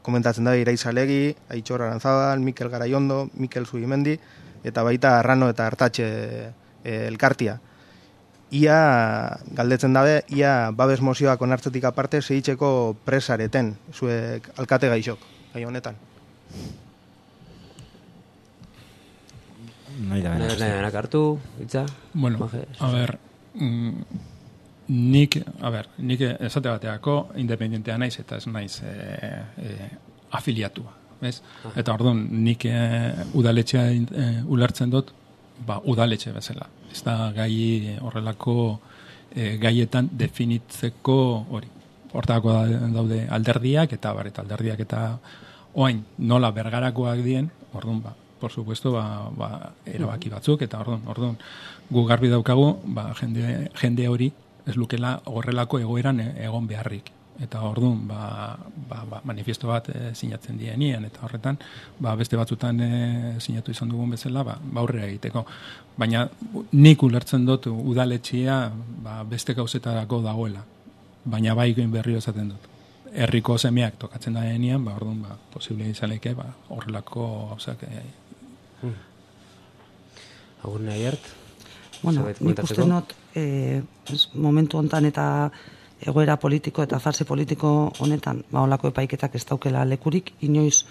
komentatzen da Iraiz Alegi, Aitzor Aranzabal, Mikel Garaiondo, Mikel Zubimendi, eta baita Arrano eta Artatxe e, elkartia. Ia, galdetzen dabe, ia babes mozioak onartzetik aparte zehitzeko presareten, zuek alkate gaixok, gai honetan. Nahi da, nahi da, hartu, itza? Bueno, a ver... Mm, Nik, a ber, nik esate bateako independentea naiz eta ez naiz e, e, afiliatua, bez? Eta orduan, nik e, udaletxea e, ulertzen dut, ba, udaletxe bezala. Ez da gai horrelako e, gaietan definitzeko hori. Hortako daude alderdiak eta bar, eta alderdiak eta oain nola bergarakoak dien, orduan, ba, por supuesto, ba, ba, erabaki batzuk, eta orduan, orduan, gu garbi daukagu, ba, jende, jende hori, ez lukela horrelako egoeran egon beharrik. Eta orduan, ba, ba, ba, manifiesto bat e, sinatzen dienien, eta horretan, ba, beste batzutan e, sinatu izan dugun bezala, ba, ba aurrera egiteko. Baina nik ulertzen dut udaletxea ba, beste gauzetarako dagoela. Baina bai berriro esaten dut. herriko semeak tokatzen da denean, ba, orduan, ba, posible izaleke, ba, horrelako, gauzak, e, hmm. Agur nahi hart? Bueno, nik uste not, e, momentu hontan eta egoera politiko eta fase politiko honetan, ba, olako epaiketak ez daukela lekurik, inoiz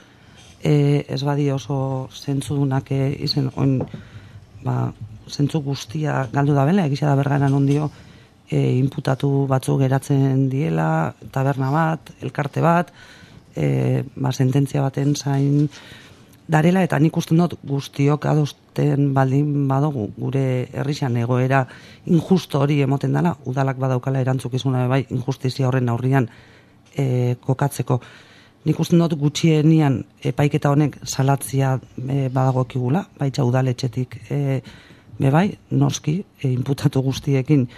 e, ez badi oso zentzudunak e, izen, oin, ba, zentzu guztia galdu da bela, egizia da bergaran ondio, e, inputatu batzu geratzen diela, taberna bat, elkarte bat, e, ba, sententzia baten zain darela, eta nik uste dut guztiok adosten baldin badugu gure herrixan egoera injusto hori emoten dela, udalak badaukala erantzukizuna bai injustizia horren aurrian e, kokatzeko. Nik uste dut gutxienian epaiketa honek salatzia e, badagokigula, baitza udaletxetik e, bebai, noski, e, inputatu guztiekin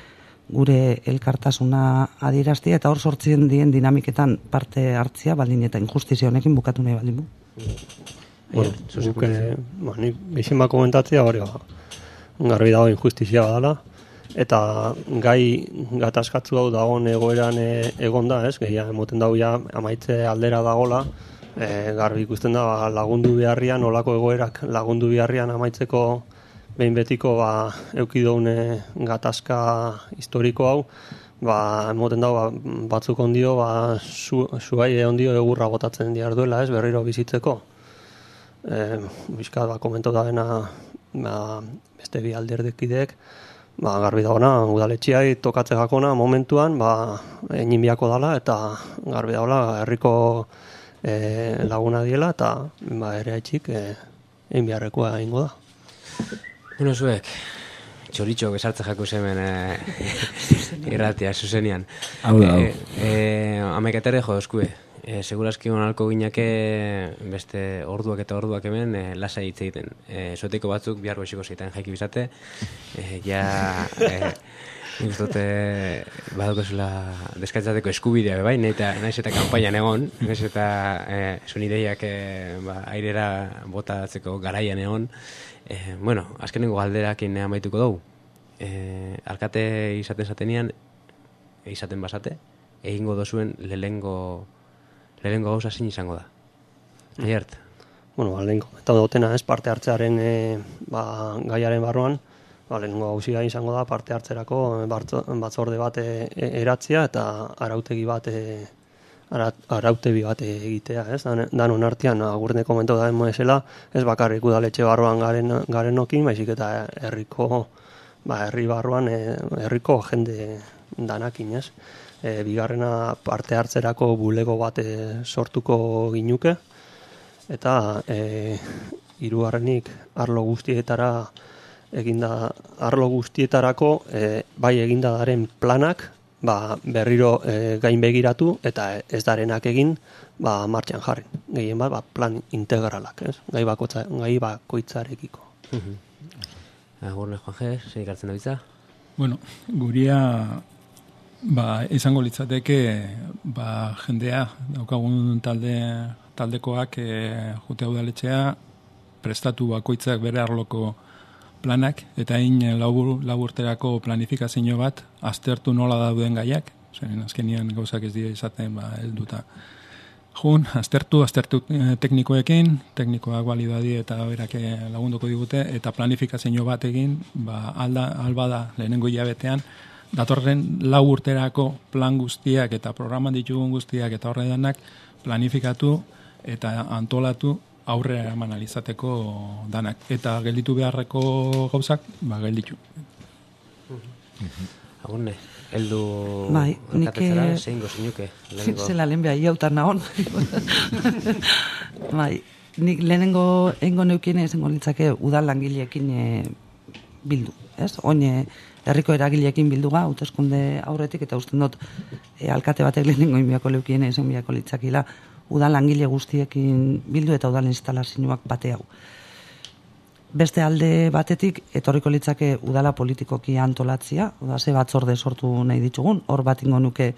gure elkartasuna adieraztia, eta hor sortzen dien dinamiketan parte hartzia, baldin eta injustizia honekin bukatu nahi baldin bu. Bueno, guk, eh, ba, nik bizin bat komentatzea hori, ba, garbi dago injustizia badala, eta gai gatazkatzu hau dagoen egoeran e, egon da, ez, gehia emoten dago ja amaitze aldera dagola, e, garbi ikusten da ba, lagundu beharrian, olako egoerak lagundu beharrian amaitzeko behin betiko ba, eukidoun gatazka historiko hau, ba, emoten dago ba, batzuk ondio, ba, zu, zuai ondio egurra botatzen diar duela, ez, berriro bizitzeko. E, bizkat, ba, komentu da bena ba, beste bi alderdekideek, ba, garbi dagoena, udaletxiai tokatze gakona momentuan, ba, egin biako dala, eta garbi dagoela, herriko e, laguna diela, eta ba, ere haitxik e, egin biharrekoa egingo da. Bueno, zuek, txoritxo besartze jaku zemen e, irratia, zuzenian. Hau da, hau. E, e, Amaikatere jo dozkue. E, segurazki onalko gineke beste orduak eta orduak hemen e, lasai hitz egiten. E, Sotiko batzuk bihar goxiko zeiten jaiki bizate. E, ja, e, nik uste badukozula deskaitzateko eskubidea, bai, naiz eta kanpainan egon, naiz eta e, sonideiak e, ba, airera botatzeko garaian egon. E, bueno, azkenengo galderakin amaituko dugu. E, alkate izaten zatenian, izaten basate, egingo dozuen lehengo lehengo gauza zin izango da. Aiert? Bueno, ba, lehenko, eta dutena ez parte hartzearen e, ba, gaiaren barruan, ba, lehenko gauzia izango da parte hartzerako batzorde bat e, eratzea eta arautegi bat e, ara, arautebi bat egitea, ez? Dan, danon artean, agurne komentu da esela, ez bakarrik udaletxe barruan garen, garenokin, baizik eta herriko, ba, herri barruan, e, herriko jende danakin, ez? E, bigarrena parte hartzerako bulego bat e, sortuko ginuke, eta e, hirugarrenik arlo guztietara eginda, arlo guztietarako e, bai eginda daren planak, ba, berriro e, gain begiratu, eta ez darenak egin, ba, martxan jarri. Gehien bat, ba, plan integralak, ez? Gai, bakotza, gai bakoitzarekiko. Agurne, Juanje, zein ikartzen da bitza? Bueno, guria ba, izango litzateke ba, jendea, daukagun talde, taldekoak e, jute udaletxea prestatu bakoitzak bere arloko planak, eta hain labur, laburterako planifikazio bat aztertu nola dauden gaiak, zen azkenian gauzak ez dira izaten ba, helduta. Jun, aztertu, aztertu teknikoekin, teknikoak balidadi eta berak lagunduko digute, eta planifikazio bat egin, ba, alda, alba da lehenengo hilabetean, datorren lau urterako plan guztiak eta programan ditugun guztiak eta horre danak planifikatu eta antolatu aurrera eman alizateko danak. Eta gelditu beharreko gauzak, ba, gelditu. Agurne, heldu bai, alkatetzara, zein gozinuke? Zela lehen behar iautan nahon. Bai, nik lehenengo engo neukien esango litzake udal langileekin e, bildu, ez? Oine, herriko eragileekin bilduga, hauteskunde aurretik, eta usten dut e, alkate batek lehenengo inbiako leukien esan biako litzakila, udal langile guztiekin bildu eta udal instalazioak bate hau. Beste alde batetik, etorriko litzake udala politikoki antolatzia, oda ze batzorde sortu nahi ditugun, hor bat ingo nuke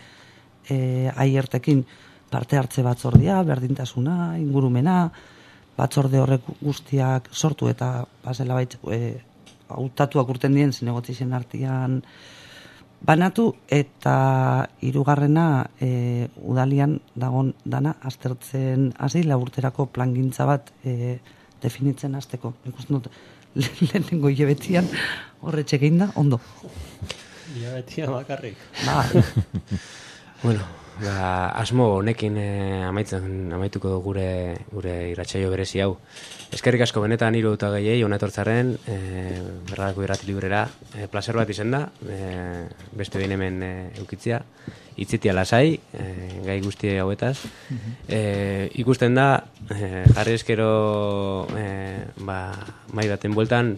e, aiertekin parte hartze batzordia, berdintasuna, ingurumena, batzorde horrek guztiak sortu eta basela baitz, e, hautatuak urten dien zinegotizien artian banatu, eta hirugarrena e, udalian dagon dana aztertzen hasi laburterako plangintza bat e, definitzen hasteko. Ikusten dut lehenengo hilabetian horretxe egin da, ondo. Hilabetia bakarrik. Ba, Bueno, ba, asmo honekin eh, amaitzen amaituko dugu gure gure irratsaio berezi hau. Eskerrik asko benetan hiru eta gehiei hona etortzaren, eh, berrarako irrati librera, eh, placer bat izen da, eh, beste behin hemen eh, eukitzia, itzitia lasai, eh, gai guzti hauetaz. Eh, ikusten da, eh, jarri eskero eh, ba, mai baten bueltan,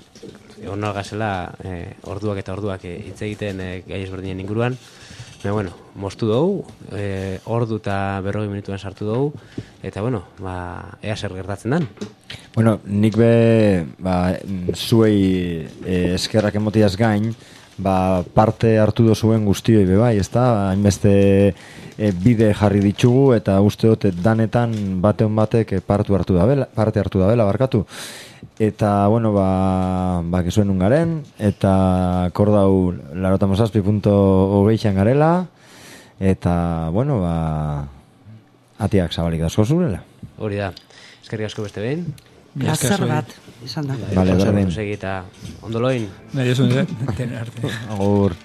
onal gazela eh, orduak eta orduak eh, hitz egiten eh, gai ezberdinen inguruan. Baina, bueno, moztu dugu, e, ordu eta berrogei minutuan sartu dugu, eta, bueno, ba, ea zer gertatzen dan. Bueno, nik be, ba, zuei e, eskerrak emotiaz gain, ba, parte hartu dozuen guztioi be bai, ezta? Hainbeste e, bide jarri ditugu, eta uste dut danetan bateon batek parte hartu da bela, parte hartu da bela, barkatu. Eta, bueno, ba, ba kesuen ungaren, eta kordau larotamosazpi punto hogeixan garela, eta, bueno, ba, atiak zabalik dauzko zurela. Hori da, eskerrik asko beste behin. plazer bat, izan da. Vale, berdin. Eta ondoloin. Nahi esun, eh? Tener arte. Agur.